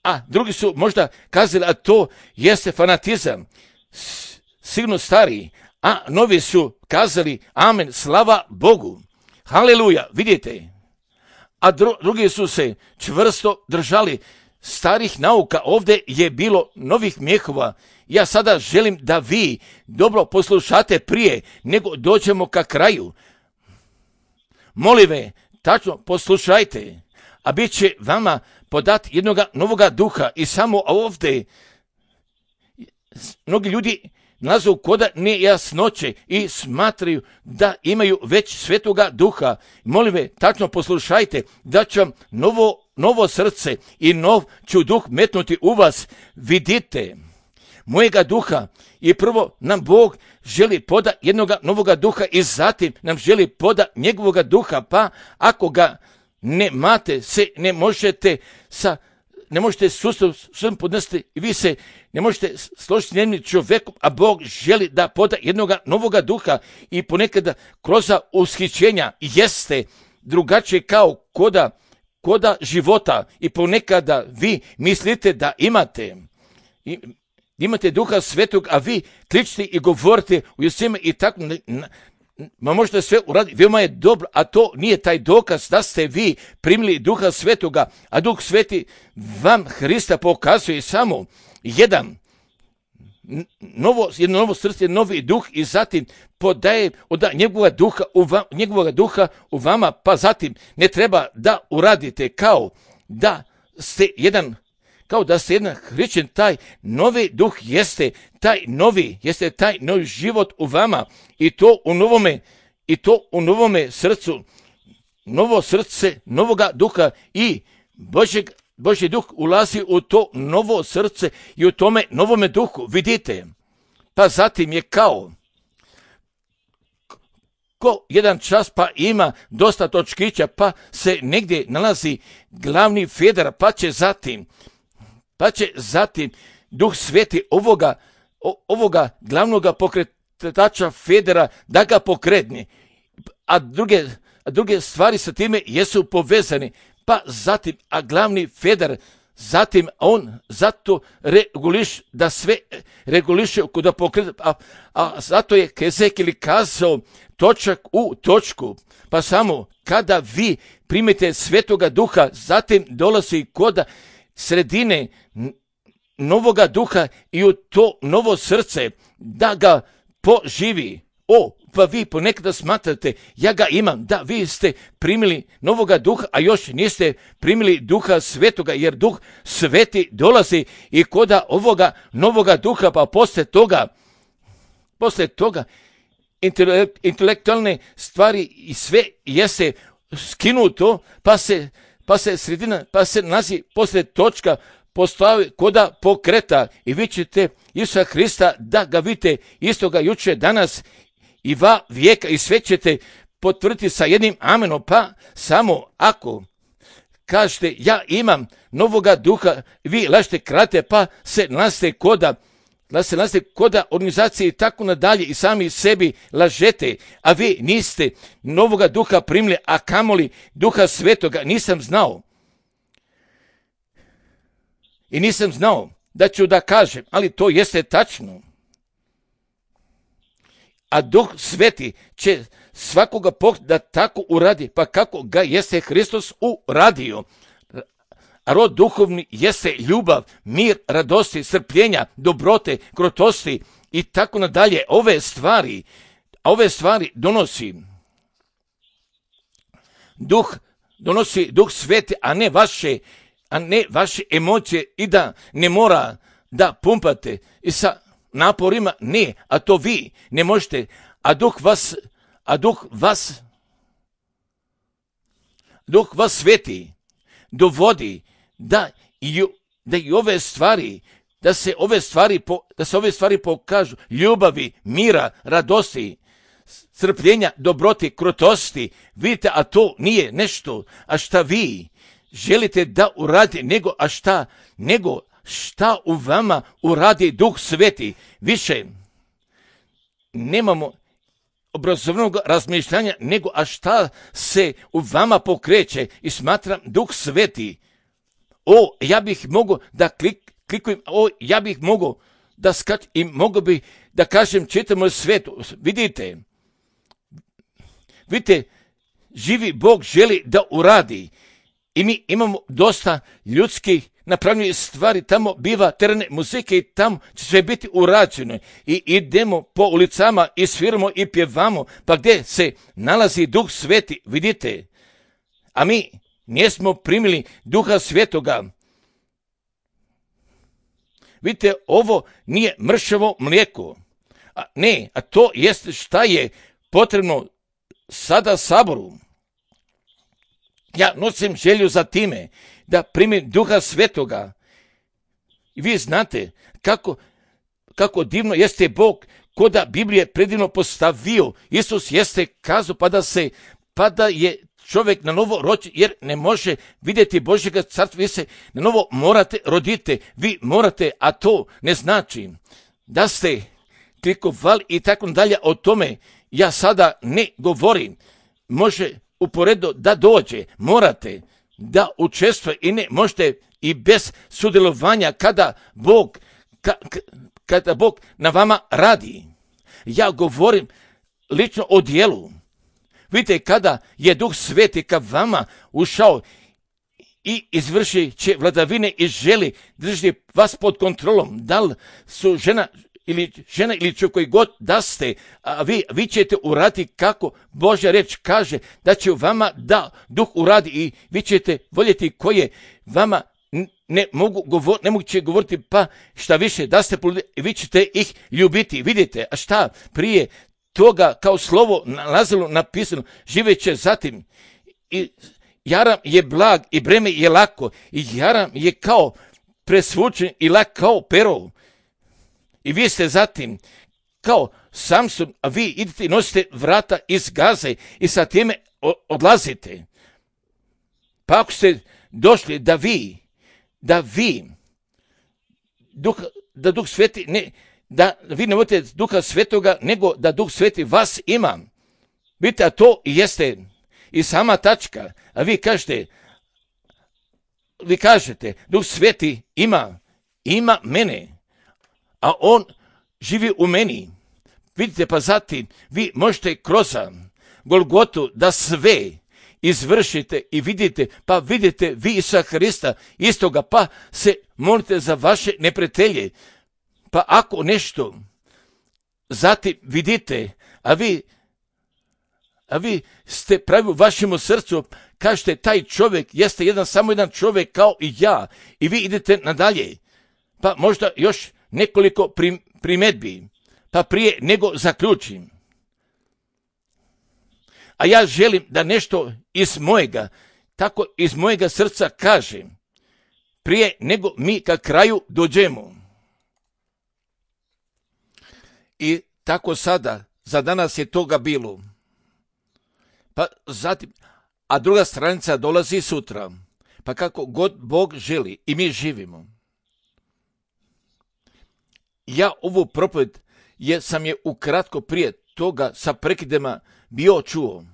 A drugi su možda kazali, a to jeste fanatizam, sigurno stariji. A novi su kazali, amen, slava Bogu, haleluja, vidite. A dru, drugi su se čvrsto držali starih nauka. Ovdje je bilo novih mjehova. Ja sada želim da vi dobro poslušate prije nego dođemo ka kraju. Molim ve, tačno poslušajte, a bit će vama podat jednog novoga duha. I samo ovdje mnogi ljudi nalazu koda nejasnoće i smatraju da imaju već svetoga duha. Molim ve, tačno poslušajte, da će vam novo, novo srce i nov ću duh metnuti u vas. Vidite, mojega duha, i prvo nam Bog želi poda jednoga novoga duha i zatim nam želi poda njegovoga duha, pa ako ga ne mate, se ne možete sa ne možete sustav svojom podnesti i vi se ne možete složiti s jednim čovjekom, a Bog želi da poda jednoga novoga duha. I ponekada kroz ushićenja jeste drugačije kao koda, koda života, i ponekada vi mislite da imate i, imate duha svetog, a vi kličite i govorite u jesime i tako, ma možete sve uraditi, veoma je dobro, a to nije taj dokaz da ste vi primili duha svetoga, a duh sveti vam Hrista pokazuje samo jedan novo, jedno novo srce, novi duh, i zatim podaje od njegovog duha, u va, njegovog duha u vama, pa zatim ne treba da uradite kao da ste jedan kao da ste jedan hrišćan. Taj novi duh jeste taj novi, jeste taj novi život u vama, i to u novome, i to u novome srcu, novo srce novoga duha, i Božeg, Božji duh ulazi u to novo srce i u tome novome duhu, vidite. Pa zatim je kao ko jedan čas, pa ima dosta točkića, pa se negdje nalazi glavni feder, pa će zatim Pa će zatim duh sveti ovoga, ovoga glavnoga pokretača federa da ga pokretne. A druge, a druge stvari sa time jesu povezane. Pa zatim, a glavni feder, zatim on zato reguliš, da sve reguliše kod pokreta. A, a zato je Hezekijel kazao točak u točku. Pa samo kada vi primite svetoga duha, zatim dolazi koda sredine novoga duha i u to novo srce da ga poživi. O, pa vi ponekada smatrate, ja ga imam, da vi ste primili novoga duha, a još niste primili duha svetoga, jer duh sveti dolazi i koda ovoga novoga duha, pa posle toga, posle toga intelektualne stvari i sve jeste skinuto, pa se pa se sredina, pa se nazi posle točka postavi koda pokreta, i vi ćete Isusa Hrista da ga vidite istoga juče, danas i va vijeka, i sve ćete potvrditi sa jednim amenom. Pa samo ako kažete ja imam novoga duha, vi lažete, krate, pa se nalazite koda da se nalazite koda organizacije i tako nadalje, i sami sebi lažete, a vi niste novoga duha primili, a kamoli duha svetoga. Nisam znao i nisam znao da ću da kažem, ali to jeste tačno. A duh sveti će svakoga pokreta da tako uradi, pa kako ga jeste Hristos uradio. A rod duhovni jeste ljubav, mir, radosti, strpljenja, dobrote, krotosti i tako nadalje. Ove stvari, ove stvari donosi duh, donosi duh sveti, a ne vaše, a ne vaše emocije, i da ne mora da pumpate i sa naporima, ne, a to vi ne možete, a duh vas, a duh vas, duh vas sveti dovodi da i, da i ove stvari, da se ove stvari, po, da se ove stvari pokažu, ljubavi, mira, radosti, strpljenja, dobroti, krotosti, vidite, a to nije nešto, a šta vi želite da uradi, nego a šta, nego šta u vama uradi Duh Sveti. Više nemamo obrazovnog razmišljanja, nego a šta se u vama pokreće i smatram Duh Sveti. O, ja bih mogao da klik, klikujem, o, ja bih mogao da skačem i mogao bih da kažem čitamo svetu. Vidite, vidite, živi Bog želi da uradi i mi imamo dosta ljudskih napravljene stvari, tamo biva terene muzike i tamo će sve biti urađeno i idemo po ulicama i sviramo i pjevamo, pa gdje se nalazi Duh Sveti, vidite, a mi nismo primili Duha Svetoga. Vidite, ovo nije mršavo mlijeko, a ne, a to jest šta je potrebno sada Saboru. Ja nosim želju za time da primim Duha Svetoga. I vi znate kako, kako divno jeste Bog, ko da Biblije predivno postavio. Isus jeste kazao pa da se, pa da je čovjek na novo rođen, jer ne može vidjeti Božjega carstva. Vi se na novo morate roditi, vi morate, a to ne znači da ste klikovali i tako dalje. O tome ja sada ne govorim. Može uporedo da dođe, morate da učestvuje i ne možete i bez sudjelovanja kada Bog, ka, kada Bog na vama radi. Ja govorim lično o dijelu. Vidite, kada je Duh Sveti ka vama ušao i izvrši će vladavine i želi držati vas pod kontrolom, da li su žena ili žena ili čovjek koji god da ste, a vi, vi ćete uraditi kako Božja reč kaže da će u vama da Duh uradi i vi ćete voljeti koje vama ne mogu govor, ne mogu će govoriti, pa šta više da ste i vi ćete ih ljubiti. Vidite, a šta prije toga kao slovo nalazilo napisano, živeće zatim i jaram je blag i breme je lako i jaram je kao presvučen i lak kao pero. I vi ste zatim kao Samson, a vi idete i nosite vrata iz Gaze i sa time odlazite. Pa ako ste došli da vi, da vi, duh, da Duh Sveti, ne, da vi ne vodite Duha Svetoga, nego da Duh Sveti vas ima. Vidite, a to jeste i sama tačka. A vi kažete, vi kažete, Duh Sveti ima, ima mene. A on živi u meni. Vidite, pa zatim vi možete kroz Golgotu da sve izvršite i vidite, pa vidite vi Isusa Hrista istoga, pa se molite za vaše neprijatelje. Pa ako nešto zatim vidite, a vi, a vi ste pravi u vašem srcu, kažete taj čovjek jeste jedan, samo jedan čovjek kao i ja i vi idete nadalje. Pa možda još nekoliko primjedbi, pa prije nego zaključim. A ja želim da nešto iz mojega, tako iz mojega srca kažem, prije nego mi ka kraju dođemo. I tako sada, za danas je toga bilo. Pa zatim, a druga stranica dolazi sutra, pa kako god Bog želi i mi živimo. Ja ovu propoved je, sam je ukratko prije toga sa prekidima bio čuo.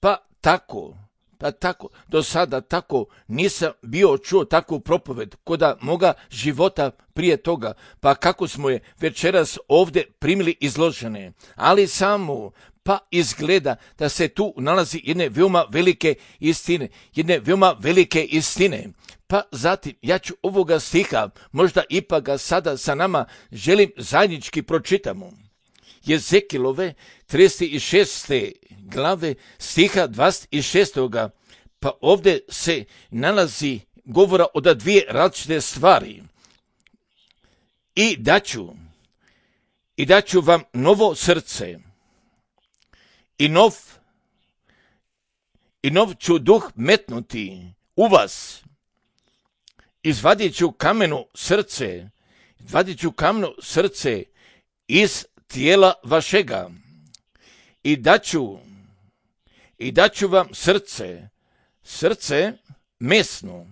Pa tako, pa tako, do sada tako nisam bio čuo takvu propoved koda moga života prije toga. Pa kako smo je večeras ovdje primili izložene, ali samo pa izgleda da se tu nalazi jedne veoma velike istine, jedne veoma velike istine. Pa zatim, ja ću ovoga stiha, možda ipak ga sada sa nama želim zajednički pročitamo. Jezekilove trideset šeste glave stiha dvadeset šest. Pa ovdje se nalazi govora o da dvije različite stvari. I daću, i daću vam novo srce, i nov, i nov ću duh metnuti u vas. Izvadit ću kameno srce, izvadit ću kameno srce iz tijela vašega i daću, i daću vam srce, srce mesnu,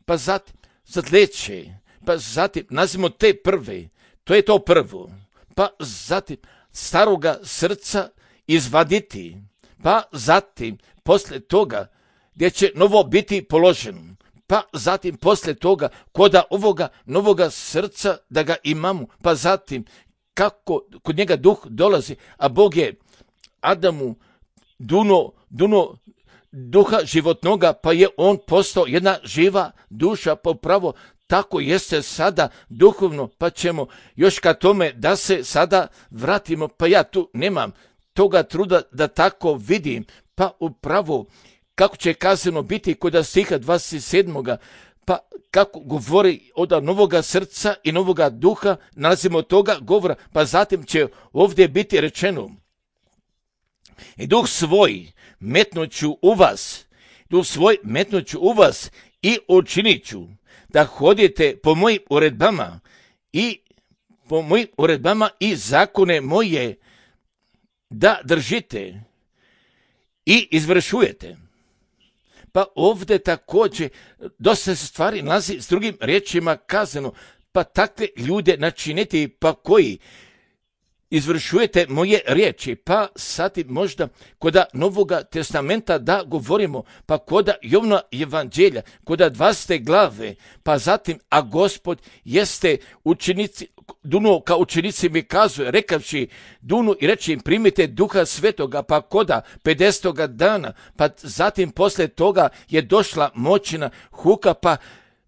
pa zatim zatleće, pa zatim nazivamo te prve, to je to prvo, pa zatim staroga srca izvaditi, pa zatim posle toga gdje će novo biti položeno, pa zatim posle toga koda ovoga novoga srca da ga imamo, pa zatim kako kod njega duh dolazi, a Bog je Adamu duno, duno duha životnoga, pa je on postao jedna živa duša, pa upravo tako jeste sada duhovno, pa ćemo još ka tome da se sada vratimo, pa ja tu nemam toga truda da tako vidim, pa upravo kako će kazano biti kod stiha dvadeset sedam. Pa kako govori od novoga srca i novoga duha, nalazimo toga govora, pa zatim će ovdje biti rečeno: i duh svoj metnuću u vas, duh svoj metnuću u vas i učinit ću da hodite po mojim uredbama i po mojim uredbama i zakone moje da držite i izvršujete. Pa ovdje također dosta se stvari nalazi s drugim riječima kazano, pa takve ljude načiniti, pa koji izvršujete moje riječi, pa sati možda koda Novoga testamenta da govorimo, pa koda Jovna evanđelja, koda dvadesete glave, pa zatim, a Gospod jeste učenici, duno ka učenici mi kazuje, rekavši dunu i reći im primite duha svetoga, pa koda pedesetoga dana, pa zatim posle toga je došla moćna huka, pa,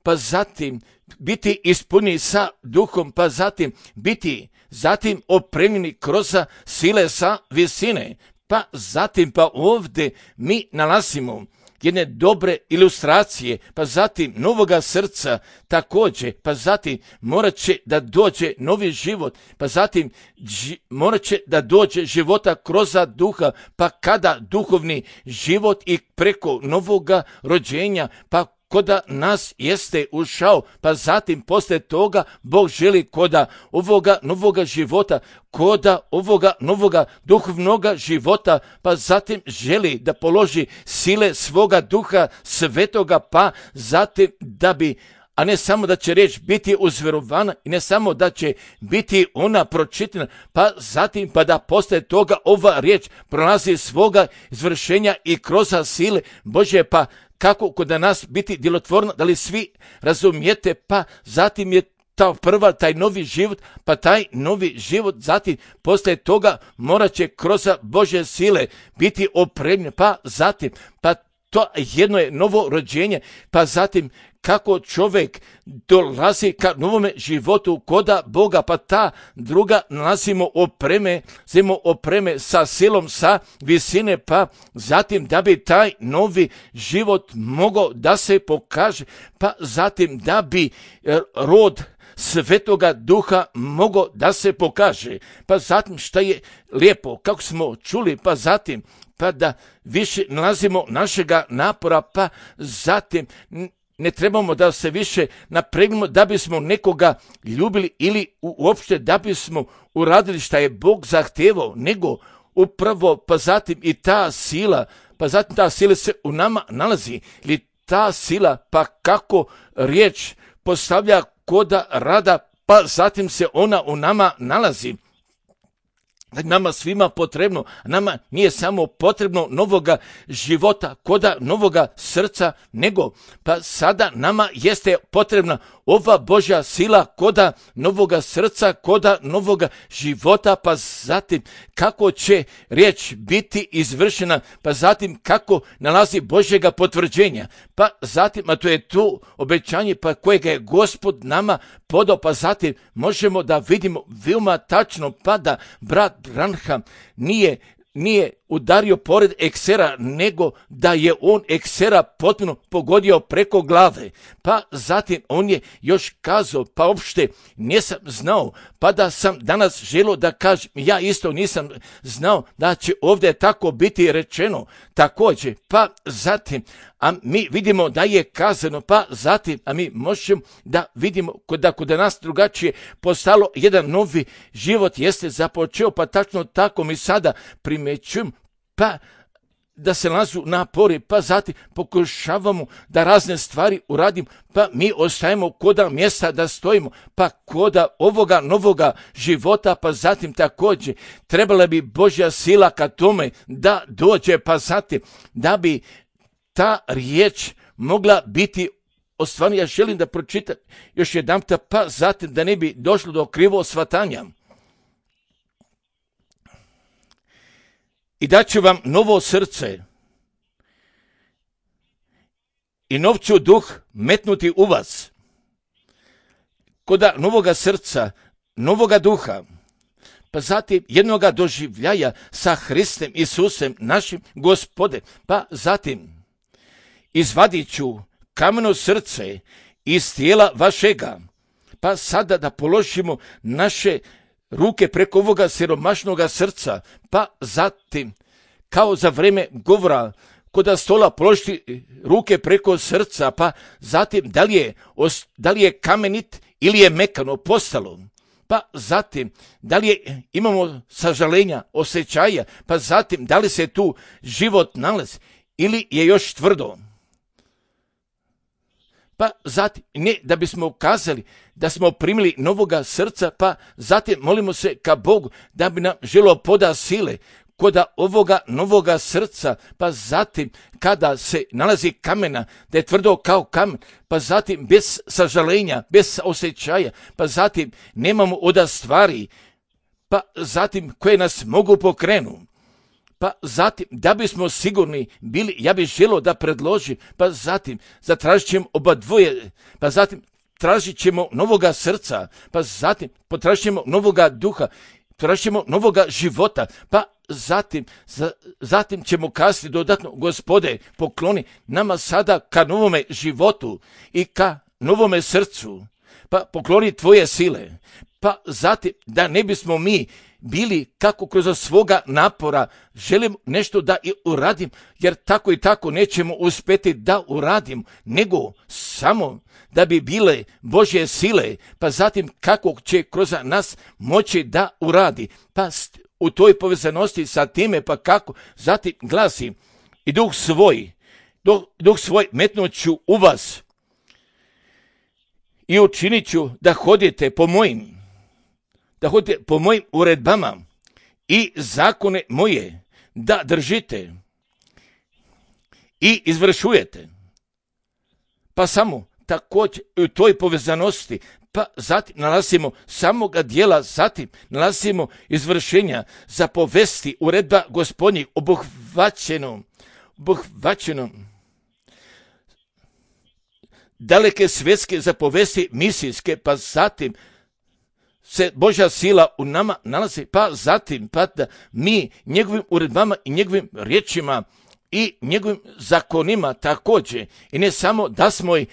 pa zatim biti ispunjeni sa duhom, pa zatim biti zatim opremljeni kroz sile sa visine, pa zatim pa ovdje mi nalazimo jedne dobre ilustracije, pa zatim novoga srca također, pa zatim morat će da dođe novi život, pa zatim ži, morat će da dođe života kroz duha, pa kada duhovni život i preko novoga rođenja, pa koda nas jeste ušao, pa zatim posle toga Bog želi koda ovoga novoga života, koda ovoga novoga duhovnoga života, pa zatim želi da položi sile svoga duha svetoga, pa zatim da bi, a ne samo da će riječ biti uzverovana i ne samo da će biti ona pročitana, pa zatim pa da posle toga ova riječ prolazi svoga izvršenja i kroz sile Božje, pa kako kod nas biti djelotvorno, da li svi razumijete, pa zatim je ta prva, taj novi život, pa taj novi život zatim posle toga morat će kroz Božje sile biti opremljen, pa zatim, pa to jedno je novo rođenje, pa zatim kako čovjek dolazi ka novome životu koda Boga, pa ta druga nalazimo opreme, zimo opreme sa silom, sa visine, pa zatim da bi taj novi život mogao da se pokaže, pa zatim da bi rod Svetoga Duha mogao da se pokaže, pa zatim šta je lijepo, kako smo čuli, pa zatim pa da više nalazimo našega napora, pa zatim ne trebamo da se više napregnemo da bismo nekoga ljubili ili uopšte da bismo uradili šta je Bog zahtevao, nego upravo pa zatim i ta sila, pa zatim ta sila se u nama nalazi, ili ta sila pa kako riječ postavlja koda rada, pa zatim se ona u nama nalazi. Nama svima potrebno, nama nije samo potrebno novoga života, koda novoga srca, nego pa sada nama jeste potrebna ova Božja sila koda novoga srca, koda novoga života, pa zatim kako će riječ biti izvršena, pa zatim kako nalazi Božjega potvrđenja, pa zatim, a to je to obećanje pa kojega je Gospod nama podao, pa zatim možemo da vidimo veoma tačno, pa da brat Branham nije, nije udario pored eksera, nego da je on eksera potpuno pogodio preko glave. Pa zatim on je još kazao, pa uopšte nisam znao, pa da sam danas želio da kažem, ja isto nisam znao da će ovdje tako biti rečeno također. Pa zatim, a mi vidimo da je kazano, pa zatim, a mi možemo da vidimo da kod nas drugačije postalo jedan novi život jeste započeo, pa tačno tako mi sada primećujem, pa da se nalazu napori, pa zatim pokušavamo da razne stvari uradimo, pa mi ostajemo koda mjesta da stojimo, pa koda ovoga novoga života, pa zatim također trebala bi Božja sila ka tome da dođe, pa zatim da bi ta riječ mogla biti ostvarena. Ja želim da pročitam još jedanputa, pa zatim da ne bi došlo do krivog shvatanja. I daću vam novo srce i nov ću duh metnuti u vas. Koda novoga srca, novoga duha, pa zatim jednoga doživljaja sa Hristem Isusem, našim Gospodem, pa zatim izvadit ću kameno srce iz tijela vašega, pa sada da položimo naše ruke preko ovoga siromašnoga srca, pa zatim, kao za vreme govora, koda stola položiti ruke preko srca, pa zatim da li je, da li je kamenit ili je mekano postalo, pa zatim da li je, imamo sažalenja, osjećaja, pa zatim da li se tu život nalazi ili je još tvrdo. Pa zatim, ne da bismo ukazali da smo primili novoga srca, pa zatim molimo se ka Bogu da bi nam želo poda sile koda ovoga novoga srca, pa zatim kada se nalazi kamena, da je tvrdo kao kamen, pa zatim bez sažalenja, bez osjećaja, pa zatim nemamo oda stvari, pa zatim koje nas mogu pokrenuti. Pa zatim, da bismo sigurni bili, ja bih želio da predložim, pa zatim zatražit ćemo oba dvoje, pa zatim tražit ćemo novoga srca, pa zatim potražit ćemo novoga duha, tražit ćemo novoga života, pa zatim, za, zatim ćemo kazati dodatno, Gospode, pokloni nama sada ka novome životu i ka novome srcu, pa pokloni tvoje sile, pa zatim da ne bismo mi bili kako kroz svoga napora želim nešto da i uradim, jer tako i tako nećemo uspjeti da uradim, nego samo da bi bile Božje sile, pa zatim kako će kroz nas moći da uradi. Pa u toj povezanosti sa time, pa kako, zatim glasi i duh svoj, duh, duh svoj metnut ću u vas i učinit ću da hodite po mojim da hodite po mojim uredbama i zakone moje da držite i izvršujete. Pa samo također u toj povezanosti, pa zatim nalazimo samoga dijela, zatim nalazimo izvršenja zapovesti uredba Gospodnjih obuhvaćenom, obuhvaćenom daleke svjetske zapovesti misijske, pa zatim se Božja sila u nama nalazi, pa zatim pa da mi njegovim uredbama i njegovim riječima i njegovim zakonima također, i ne samo da smo ih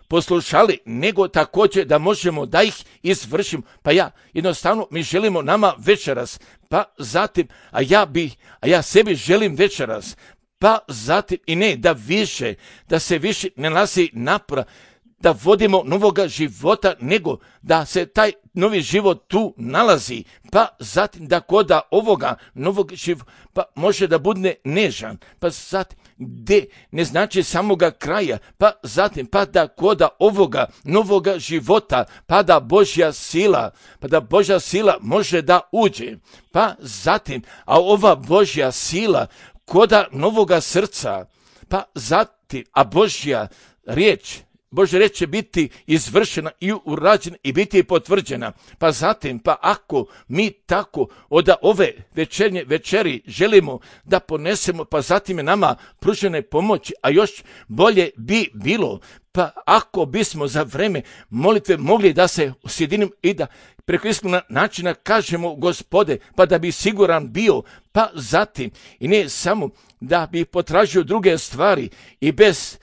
poslušali, nego također da možemo da ih izvršimo. Pa ja, jednostavno mi želimo nama večeras, pa zatim, a ja bi, a ja sebi želim večeras, pa zatim i ne da više, da se više ne nalazi napora, da vodimo novoga života, nego da se taj novi život tu nalazi, pa zatim da koda ovoga novog života, pa može da bude nežan, pa zatim gdje ne znači samoga kraja, pa zatim pa da koda ovoga novoga života, pa da Božja sila, pa da Božja sila može da uđe, pa zatim, a ova Božja sila koda novoga srca, pa zatim, a Božja riječ, Božja riječ će biti izvršena i urađena i biti potvrđena. Pa zatim, pa ako mi tako od ove večernje večeri želimo da ponesemo, pa zatim je nama pružene pomoći, a još bolje bi bilo, pa ako bismo za vreme molitve mogli da se sjedinimo i da preko iskrenog načina kažemo Gospode, pa da bi siguran bio, pa zatim i ne samo da bi potražio druge stvari i bez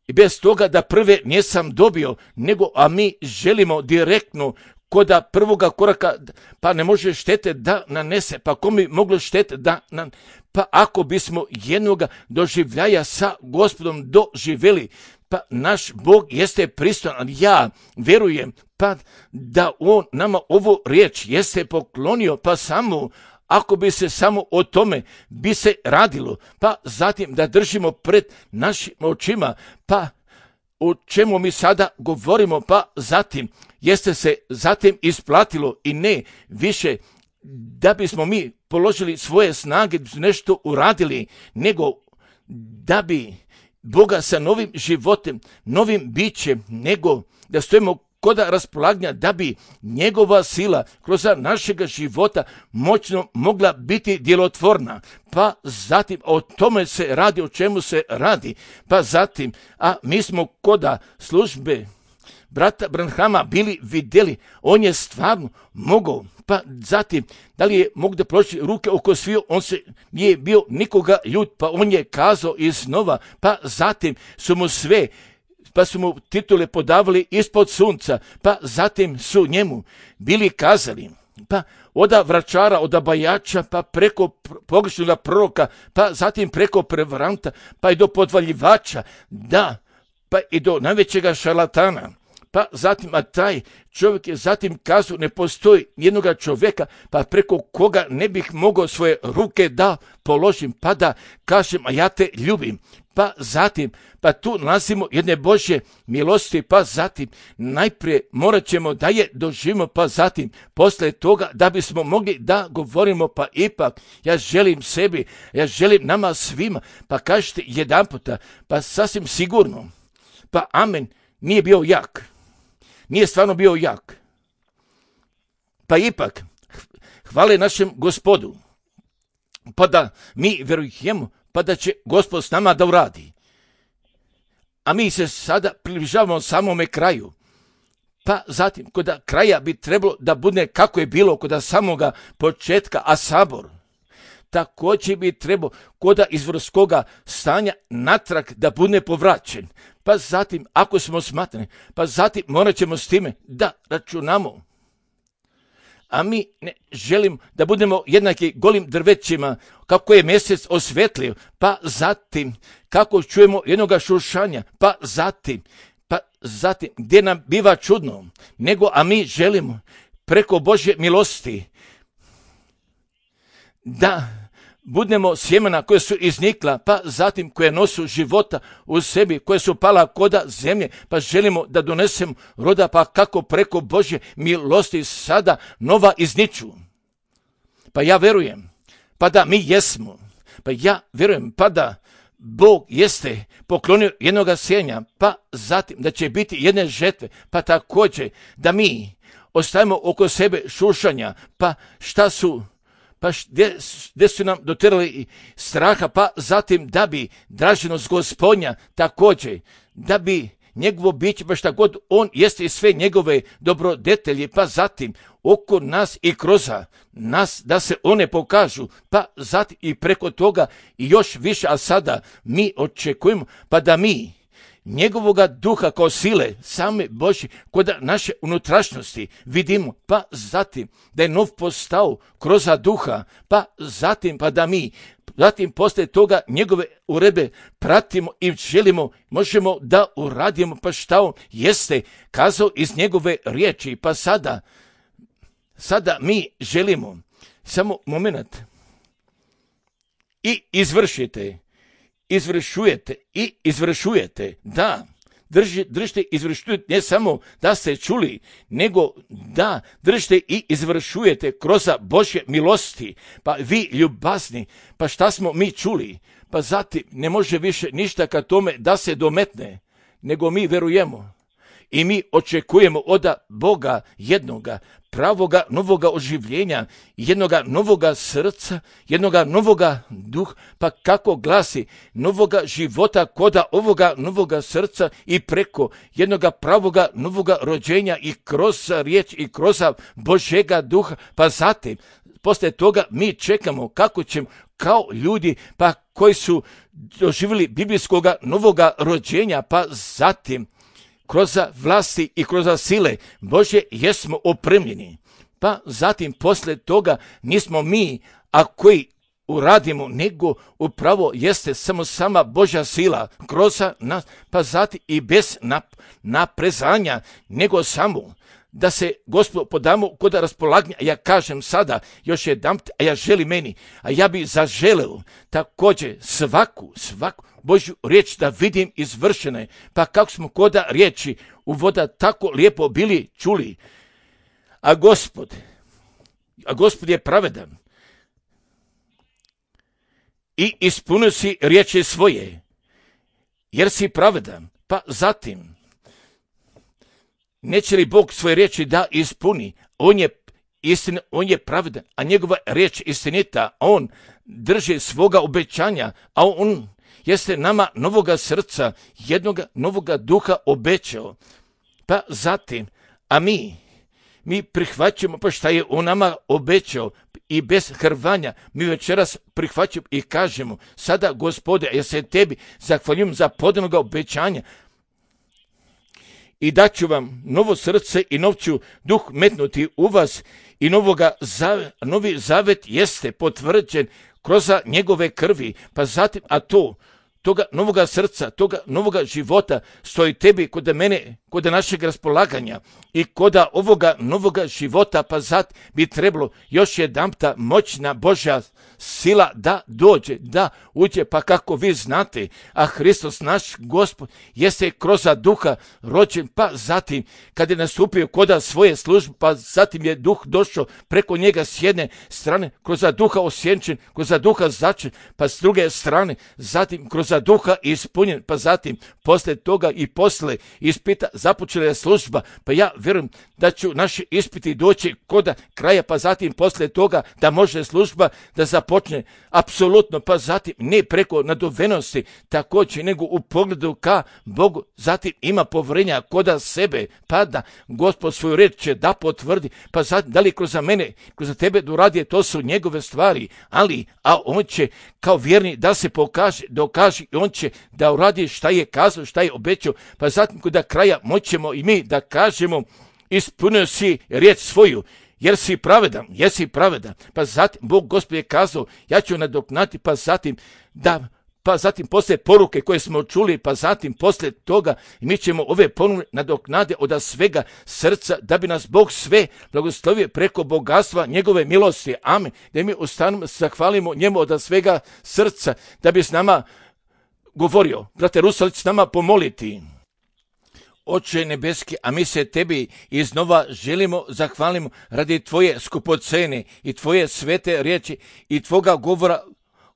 I bez toga da prve nisam dobio, nego a mi želimo direktno koda prvoga koraka, pa ne može štete da nanese, pa ko mi moglo štete da nan... Pa ako bismo jednoga doživljaja sa Gospodom doživjeli, pa naš Bog jeste pristojan, ja verujem, pa da on nama ovu riječ jeste poklonio, pa samo ako bi se samo o tome bi se radilo, pa zatim da držimo pred našim očima, pa o čemu mi sada govorimo, pa zatim jeste se zatim isplatilo i ne više da bismo mi položili svoje snage, nešto uradili, nego da bi Boga sa novim životem, novim bićem, nego da stojimo kod raspolaganja, da bi njegova sila kroz našega života moćno mogla biti djelotvorna. Pa zatim o tome se radi, o čemu se radi. Pa zatim, a mi smo koda službe brata Branhama bili vidjeli, on je stvarno mogao. Pa zatim, da li je mogu da položi ruke oko sviju, on se nije bio nikoga ljud, pa on je kazao iznova, pa zatim su mu sve, pa su mu titule podavali ispod sunca, pa zatim su njemu bili kazali, pa oda vračara, oda bajača, pa preko pogrešnog proroka, pa zatim preko prevaranta, pa i do podvaljivača, da, pa i do najvećega šarlatana. Pa zatim, a taj čovjek je zatim kazao, ne postoji jednoga čovjeka, pa preko koga ne bih mogao svoje ruke da položim, pa da kažem, a ja te ljubim. Pa zatim, pa tu nalazimo jedne Božje milosti, pa zatim, najprije morat ćemo da je doživimo, pa zatim, posle toga, da bismo mogli da govorimo, pa ipak, ja želim sebi, ja želim nama svima, pa kažete jedan puta, pa sasvim sigurno, pa amen, nije bio jak. Nije stvarno bio jak. Pa ipak, hvale našem Gospodu, pa da mi verujemo, pa da će Gospod s nama da uradi. A mi se sada približavamo samome kraju. Pa zatim, kod kraja bi trebalo da bude kako je bilo kod samoga početka, a sabor također bi trebao kod izvorskoga stanja natrag da bude povraćen. Pa zatim, ako smo smatrani, pa zatim morat ćemo s time da računamo. A mi ne želimo da budemo jednaki golim drvećima, kako je mjesec osvetlio, pa zatim, kako čujemo jednoga šušanja, pa zatim, pa zatim, gdje nam biva čudno, nego, a mi želimo preko Božje milosti da budemo sjemena koje su iznikla, pa zatim koje nosu života u sebi, koje su pala koda zemlje, pa želimo da donesemo roda, pa kako preko Božje milosti sada nova izniču. Pa ja verujem, pa da mi jesmo, pa ja verujem, pa da Bog jeste poklonio jednoga sjenja, pa zatim da će biti jedne žetve, pa također da mi ostavimo oko sebe šušanja, pa šta su pa gdje, gdje su nam doterali straha, pa zatim da bi draženost Gospodnja također, da bi njegovo biće, pa šta god on jeste i sve njegove dobrodetelje, pa zatim oko nas i kroz nas da se one pokažu, pa zatim i preko toga i još više, a sada mi očekujemo, pa da mi njegovoga duha kao sile, same Božje, kod naše unutrašnjosti vidimo, pa zatim da je nov postao kroz duha, pa zatim pa da mi, zatim posle toga njegove urebe pratimo i želimo, možemo da uradimo, pa šta on jeste kazao iz njegove riječi, pa sada, sada mi želimo, samo moment, i izvršite, izvršujete i izvršujete, da, drži, držite, izvršujete, ne samo da ste čuli, nego da držite i izvršujete kroz Božje milosti, pa vi ljubazni, pa šta smo mi čuli, pa zatim ne može više ništa ka tome da se dometne, nego mi verujemo i mi očekujemo od Boga jednoga pravoga novoga oživljenja, jednoga novoga srca, jednoga novoga duha, pa kako glasi, novoga života koda ovoga novoga srca i preko jednoga pravoga novoga rođenja i kroz riječ i kroz Božjega duha, pa zatim, posle toga mi čekamo kako ćemo kao ljudi, pa koji su doživjeli biblijskoga novoga rođenja, pa zatim, kroz vlasti i kroz sile Božje jesmo opremljeni. Pa zatim posle toga nismo mi, a koji uradimo, nego upravo jeste samo sama Božja sila kroz nas, pa zatim i bez nap- naprezanja, nego samo da se, Gospod, podamo kod raspolaganja. Ja kažem sada, još jedan, a ja želim meni, a ja bi zaželeo također svaku, svaku Božju riječ da vidim izvršene. Pa kako smo koda riječi u voda tako lijepo bili čuli. A Gospod, a Gospod je pravedan i ispunio si riječi svoje, jer si pravedan. Pa zatim, neće li Bog svoje riječi da ispuni? On je istina, on je pravedan, a njegova riječ istinita, on drži svoga obećanja, a on jeste nama novoga srca, jednoga novoga duha obećao. Pa zatim, a mi, mi prihvaćamo pa šta je on nama obećao i bez hrvanja mi večeras prihvaćamo i kažemo, sada Gospode, ja se tebi zahvaljujem za podanoga obećanja i daću vam novo srce i nov ću duh metnuti u vas i novoga zavet, novi zavet jeste potvrđen kroz njegove krvi, pa zatim, a to, toga novoga srca, toga novoga života stoji tebi kod mene, kod našeg raspolaganja i kod ovoga novoga života, pa zat bi trebalo još jedanpta moćna Božja sila da dođe, da uđe, pa kako vi znate, a Hristos naš Gospod jeste kroz duha rođen, pa zatim kad je nastupio kod svoje službe, pa zatim je duh došao preko njega s jedne strane, kroz duha osjenčen, kroz duha začen, pa s druge strane, zatim kroz duha ispunjen, pa zatim posle toga i posle ispita započela je služba, pa ja vjerujem da ću naši ispiti doći kod kraja, pa zatim posle toga da može služba da započne apsolutno, pa zatim ne preko nadovenosti također, nego u pogledu ka Bogu, zatim ima povrenja kod sebe, pa da Gospod svoju reč će da potvrdi, pa zatim da li kroz mene, kroz tebe doradi, to su njegove stvari, ali, a on će kao vjerni da se pokaže, dokaže i on će da uradi šta je kazao, šta je obećao, pa zatim kod kraja moćemo i mi da kažemo, ispunio si riječ svoju, jer si pravedan, jesi pravedan, pa zatim Bog Gospod je kazao, ja ću nadoknati, pa zatim da, pa zatim posle poruke koje smo čuli, pa zatim posle toga mi ćemo ove ponude nadoknade od svega srca, da bi nas Bog sve blagoslovio preko bogatstva njegove milosti, amen, da mi ustanemo, zahvalimo njemu od svega srca, da bi s nama govorio, brate Rusalić, s nama pomoliti. Oče nebeski, a mi se tebi iznova želimo, zahvalimo radi tvoje skupocene i tvoje svete riječi i tvoga govora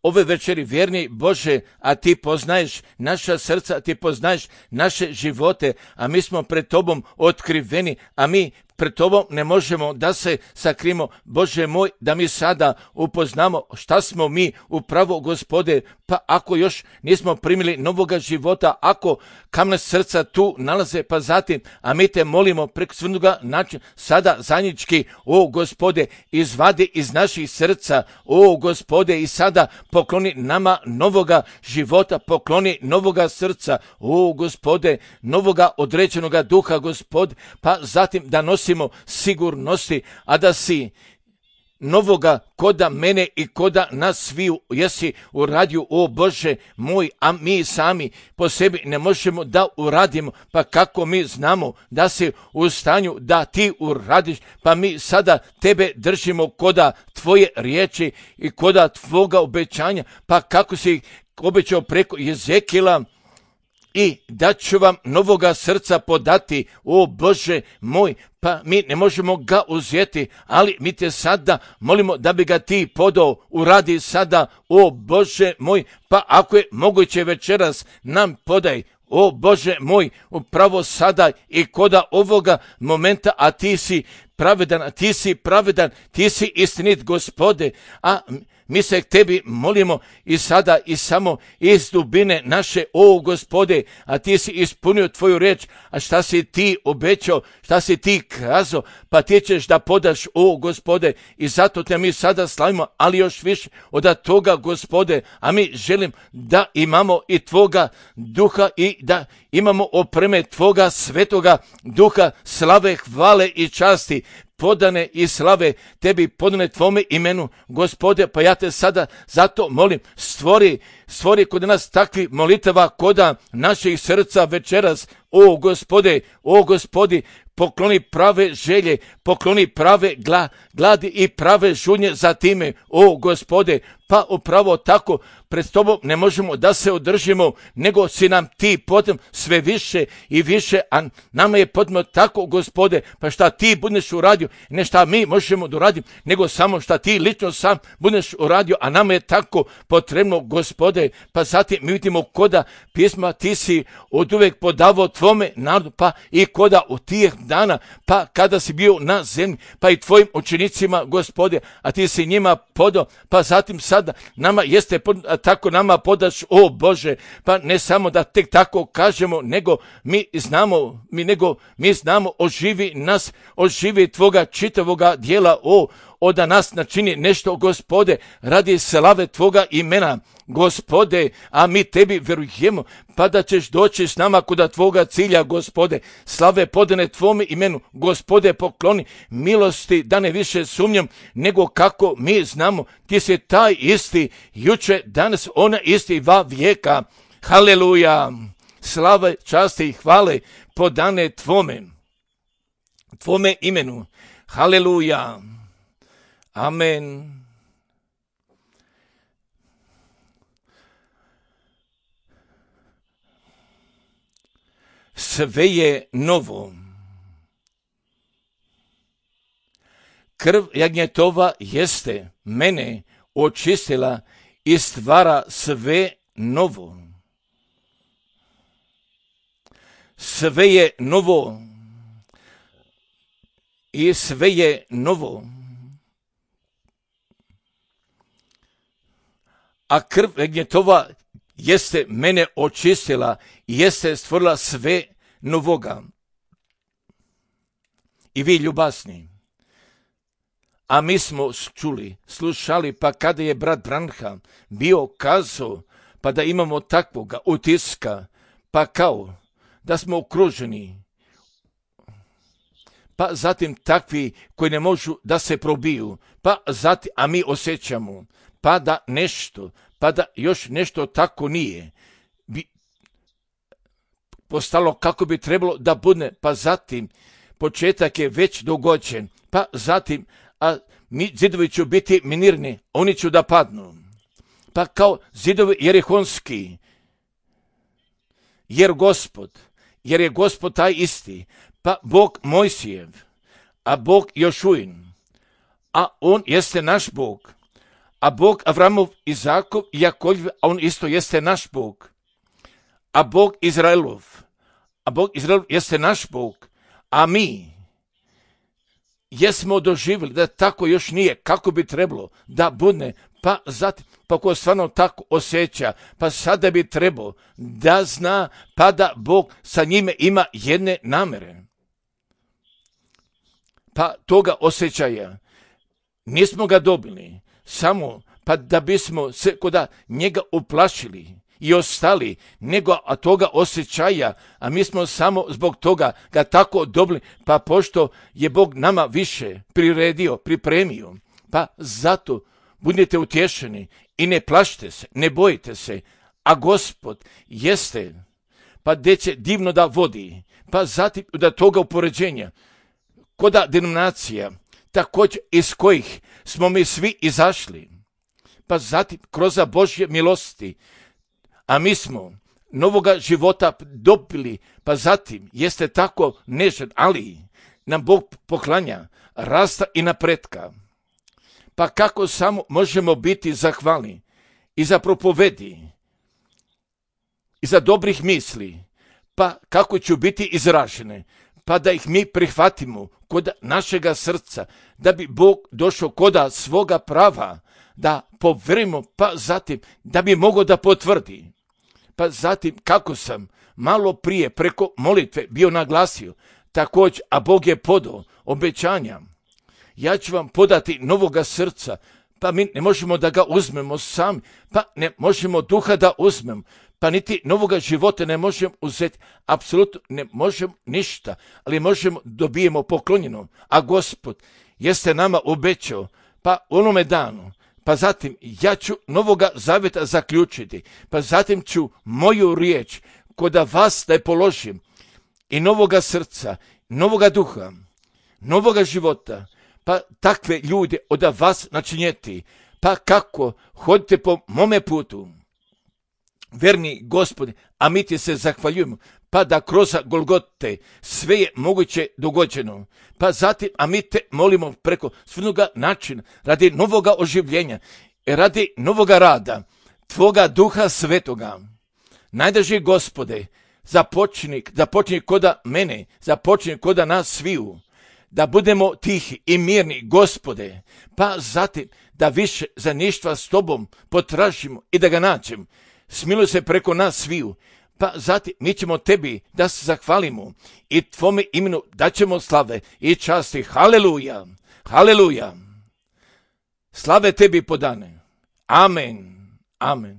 ove večeri, vjerni Bože, a ti poznaješ naša srca, ti poznaješ naše živote, a mi smo pred tobom otkriveni, a mi pred tobom ne možemo da se sakrimo, Bože moj, da mi sada upoznamo šta smo mi upravo, Gospode, pa ako još nismo primili novoga života, ako kamne srca tu nalaze, pa zatim, a mi te molimo preko svnuga načina, sada zajednički, o Gospode, izvadi iz naših srca, o Gospode, i sada pokloni nama novoga života, pokloni novoga srca, o Gospode, novoga određenoga duha, Gospod, pa zatim da nosimo sigurnosti, a da si novoga koda mene i koda nas sviju jesi uradio, o Bože moj, a mi sami po sebi ne možemo da uradimo, pa kako mi znamo da si u stanju da ti uradiš, pa mi sada tebe držimo koda tvoje riječi i koda tvoga obećanja, pa kako si obećao preko Jezekila, i da ću vam novoga srca podati, o Bože moj, pa mi ne možemo ga uzeti, ali mi te sada molimo da bi ga ti podao, uradi sada, o Bože moj, pa ako je moguće večeras nam podaj, o Bože moj, upravo sada i koda ovoga momenta, a ti si pravedan, a ti si pravedan, ti si istinit, Gospode, a mi se k tebi molimo i sada i samo iz dubine naše, o Gospode, a ti si ispunio tvoju reč, a šta si ti obećao, šta si ti kazao, pa ti ćeš da podaš, o Gospode, i zato te mi sada slavimo, ali još više od toga, Gospode, a mi želim da imamo i tvoga duha i da imamo opreme tvoga svetoga duha, slave, hvale i časti, podane i slave tebi, podane tvome imenu, Gospode, pa ja te sada zato molim, stvori, stvori kod nas takvi molitava koda naših srca večeras, o Gospode, o Gospodi, pokloni prave želje, pokloni prave gla, gladi i prave žunje za time, o Gospode, pa upravo tako pred tobom ne možemo da se održimo, nego si nam ti potom sve više i više, a nama je potrebno tako, Gospode, pa šta ti budeš uradio, ne šta mi možemo da uradimo, nego samo šta ti lično sam budeš uradio, a nama je tako potrebno, Gospode. Pa zatim mi vidimo koda pisma ti si od uvek podavao tvome narodu, pa i koda od tih dana, pa kada si bio na zemlji, pa i tvojim učenicima, Gospode, a ti si njima podao, pa zatim sada nama jeste tako nama podaš, o Bože, pa ne samo da tek tako kažemo, nego mi znamo, mi nego mi znamo oživi nas, oživi tvoga čitavoga dijela, o, o da nas načini nešto, Gospode, radi slave tvoga imena, Gospode, a mi tebi verujemo, pa da ćeš doći s nama kuda tvoga cilja, Gospode, slave podane tvome imenu, Gospode, pokloni milosti, da ne više sumnjam, nego kako mi znamo, ti si taj isti, juče, danas, ona isti va vijeka, haleluja, slave, časti i hvale podane tvome, tvome imenu, haleluja, amen. Sve je novo. Krv jagnjetova jeste mene očistila i stvara sve novo. Sve je novo. I sve je novo. A krv jagnjetova jeste mene očistila i jeste stvorila sve novoga. I vi ljubazni, a mi smo čuli, slušali, pa kada je brat Branham bio kazao, pa da imamo takvoga utiska, pa kao da smo okruženi, pa zatim takvi koji ne možu da se probiju, pa zatim, a mi osjećamo, pa da nešto, pa da još nešto tako nije bi postalo kako bi trebalo da bude, pa zatim početak je već dogođen, pa zatim a mi zidovi će biti minirni, oni će da padnu, pa kao zidovi jerihonski, jer Gospod, jer je Gospod taj isti, pa Bog Mojsijev, a Bog Jošuin, a on jeste naš Bog, a Bog Avramov, Izakov i Jakoljev, a on isto jeste naš Bog, a Bog Izraelov, a Bog Izraelov jeste naš Bog, a mi jesmo doživjeli da tako još nije kako bi trebalo da bude, pa zatim, pa ko stvarno tako osjeća, pa sada bi trebao da zna, pa da Bog sa njime ima jedne namere. Pa toga osjećaja nismo ga dobili samo pa da bismo se koda njega uplašili i ostali, nego a toga osjećaja, a mi smo samo zbog toga ga tako dobili, pa pošto je Bog nama više priredio, pripremio, pa zato budite utješeni i ne plašite se, ne bojite se, a Gospod jeste, pa gdje će divno da vodi, pa zatim da toga upoređenja, koda denominacija, također iz kojih smo mi svi izašli, pa zatim kroz Božje milosti, a mi smo novoga života dobili, pa zatim jeste tako nežan, ali nam Bog poklanja rasta i napretka. Pa kako samo možemo biti zahvalni i za propovedi, i za dobrih misli, pa kako će biti izražene, pa da ih mi prihvatimo kod našega srca, da bi Bog došao koda svoga prava, da poverimo, pa zatim da bi mogao da potvrdi. Pa zatim kako sam malo prije preko molitve bio naglasio, također, a Bog je podao obećanja. Ja ću vam podati novoga srca, pa mi ne možemo da ga uzmemo sami, pa ne možemo duha da uzmemo, pa niti novoga života ne možemo uzeti, apsolutno ne možemo ništa, ali možemo dobijemo poklonjeno, a Gospod jeste nama obećao, pa onome danu, pa zatim ja ću novoga zaveta zaključiti, pa zatim ću moju riječ koda vas da je položim i novoga srca novoga duha, novoga života, pa takve ljude od vas načinjeti, pa kako hodite po mome putu. Verni Gospode, a mi ti se zahvaljujemo, pa da kroz Golgote sve je moguće dogođeno. Pa zatim, a mi te molimo preko svinoga načina, radi novoga oživljenja, radi novoga rada, Tvoga Duha Svetoga. Najdraži Gospode, započni, započni koda mene, započni koda nas sviju, da budemo tihi i mirni, Gospode, pa zatim da više za ništa s Tobom potražimo i da ga nađemo. Smiluj se preko nas sviju, pa zatim mi ćemo Tebi da se zahvalimo i Tvome imenu daćemo slave i časti. Haleluja, haleluja. Slave Tebi podane. Amen, amen.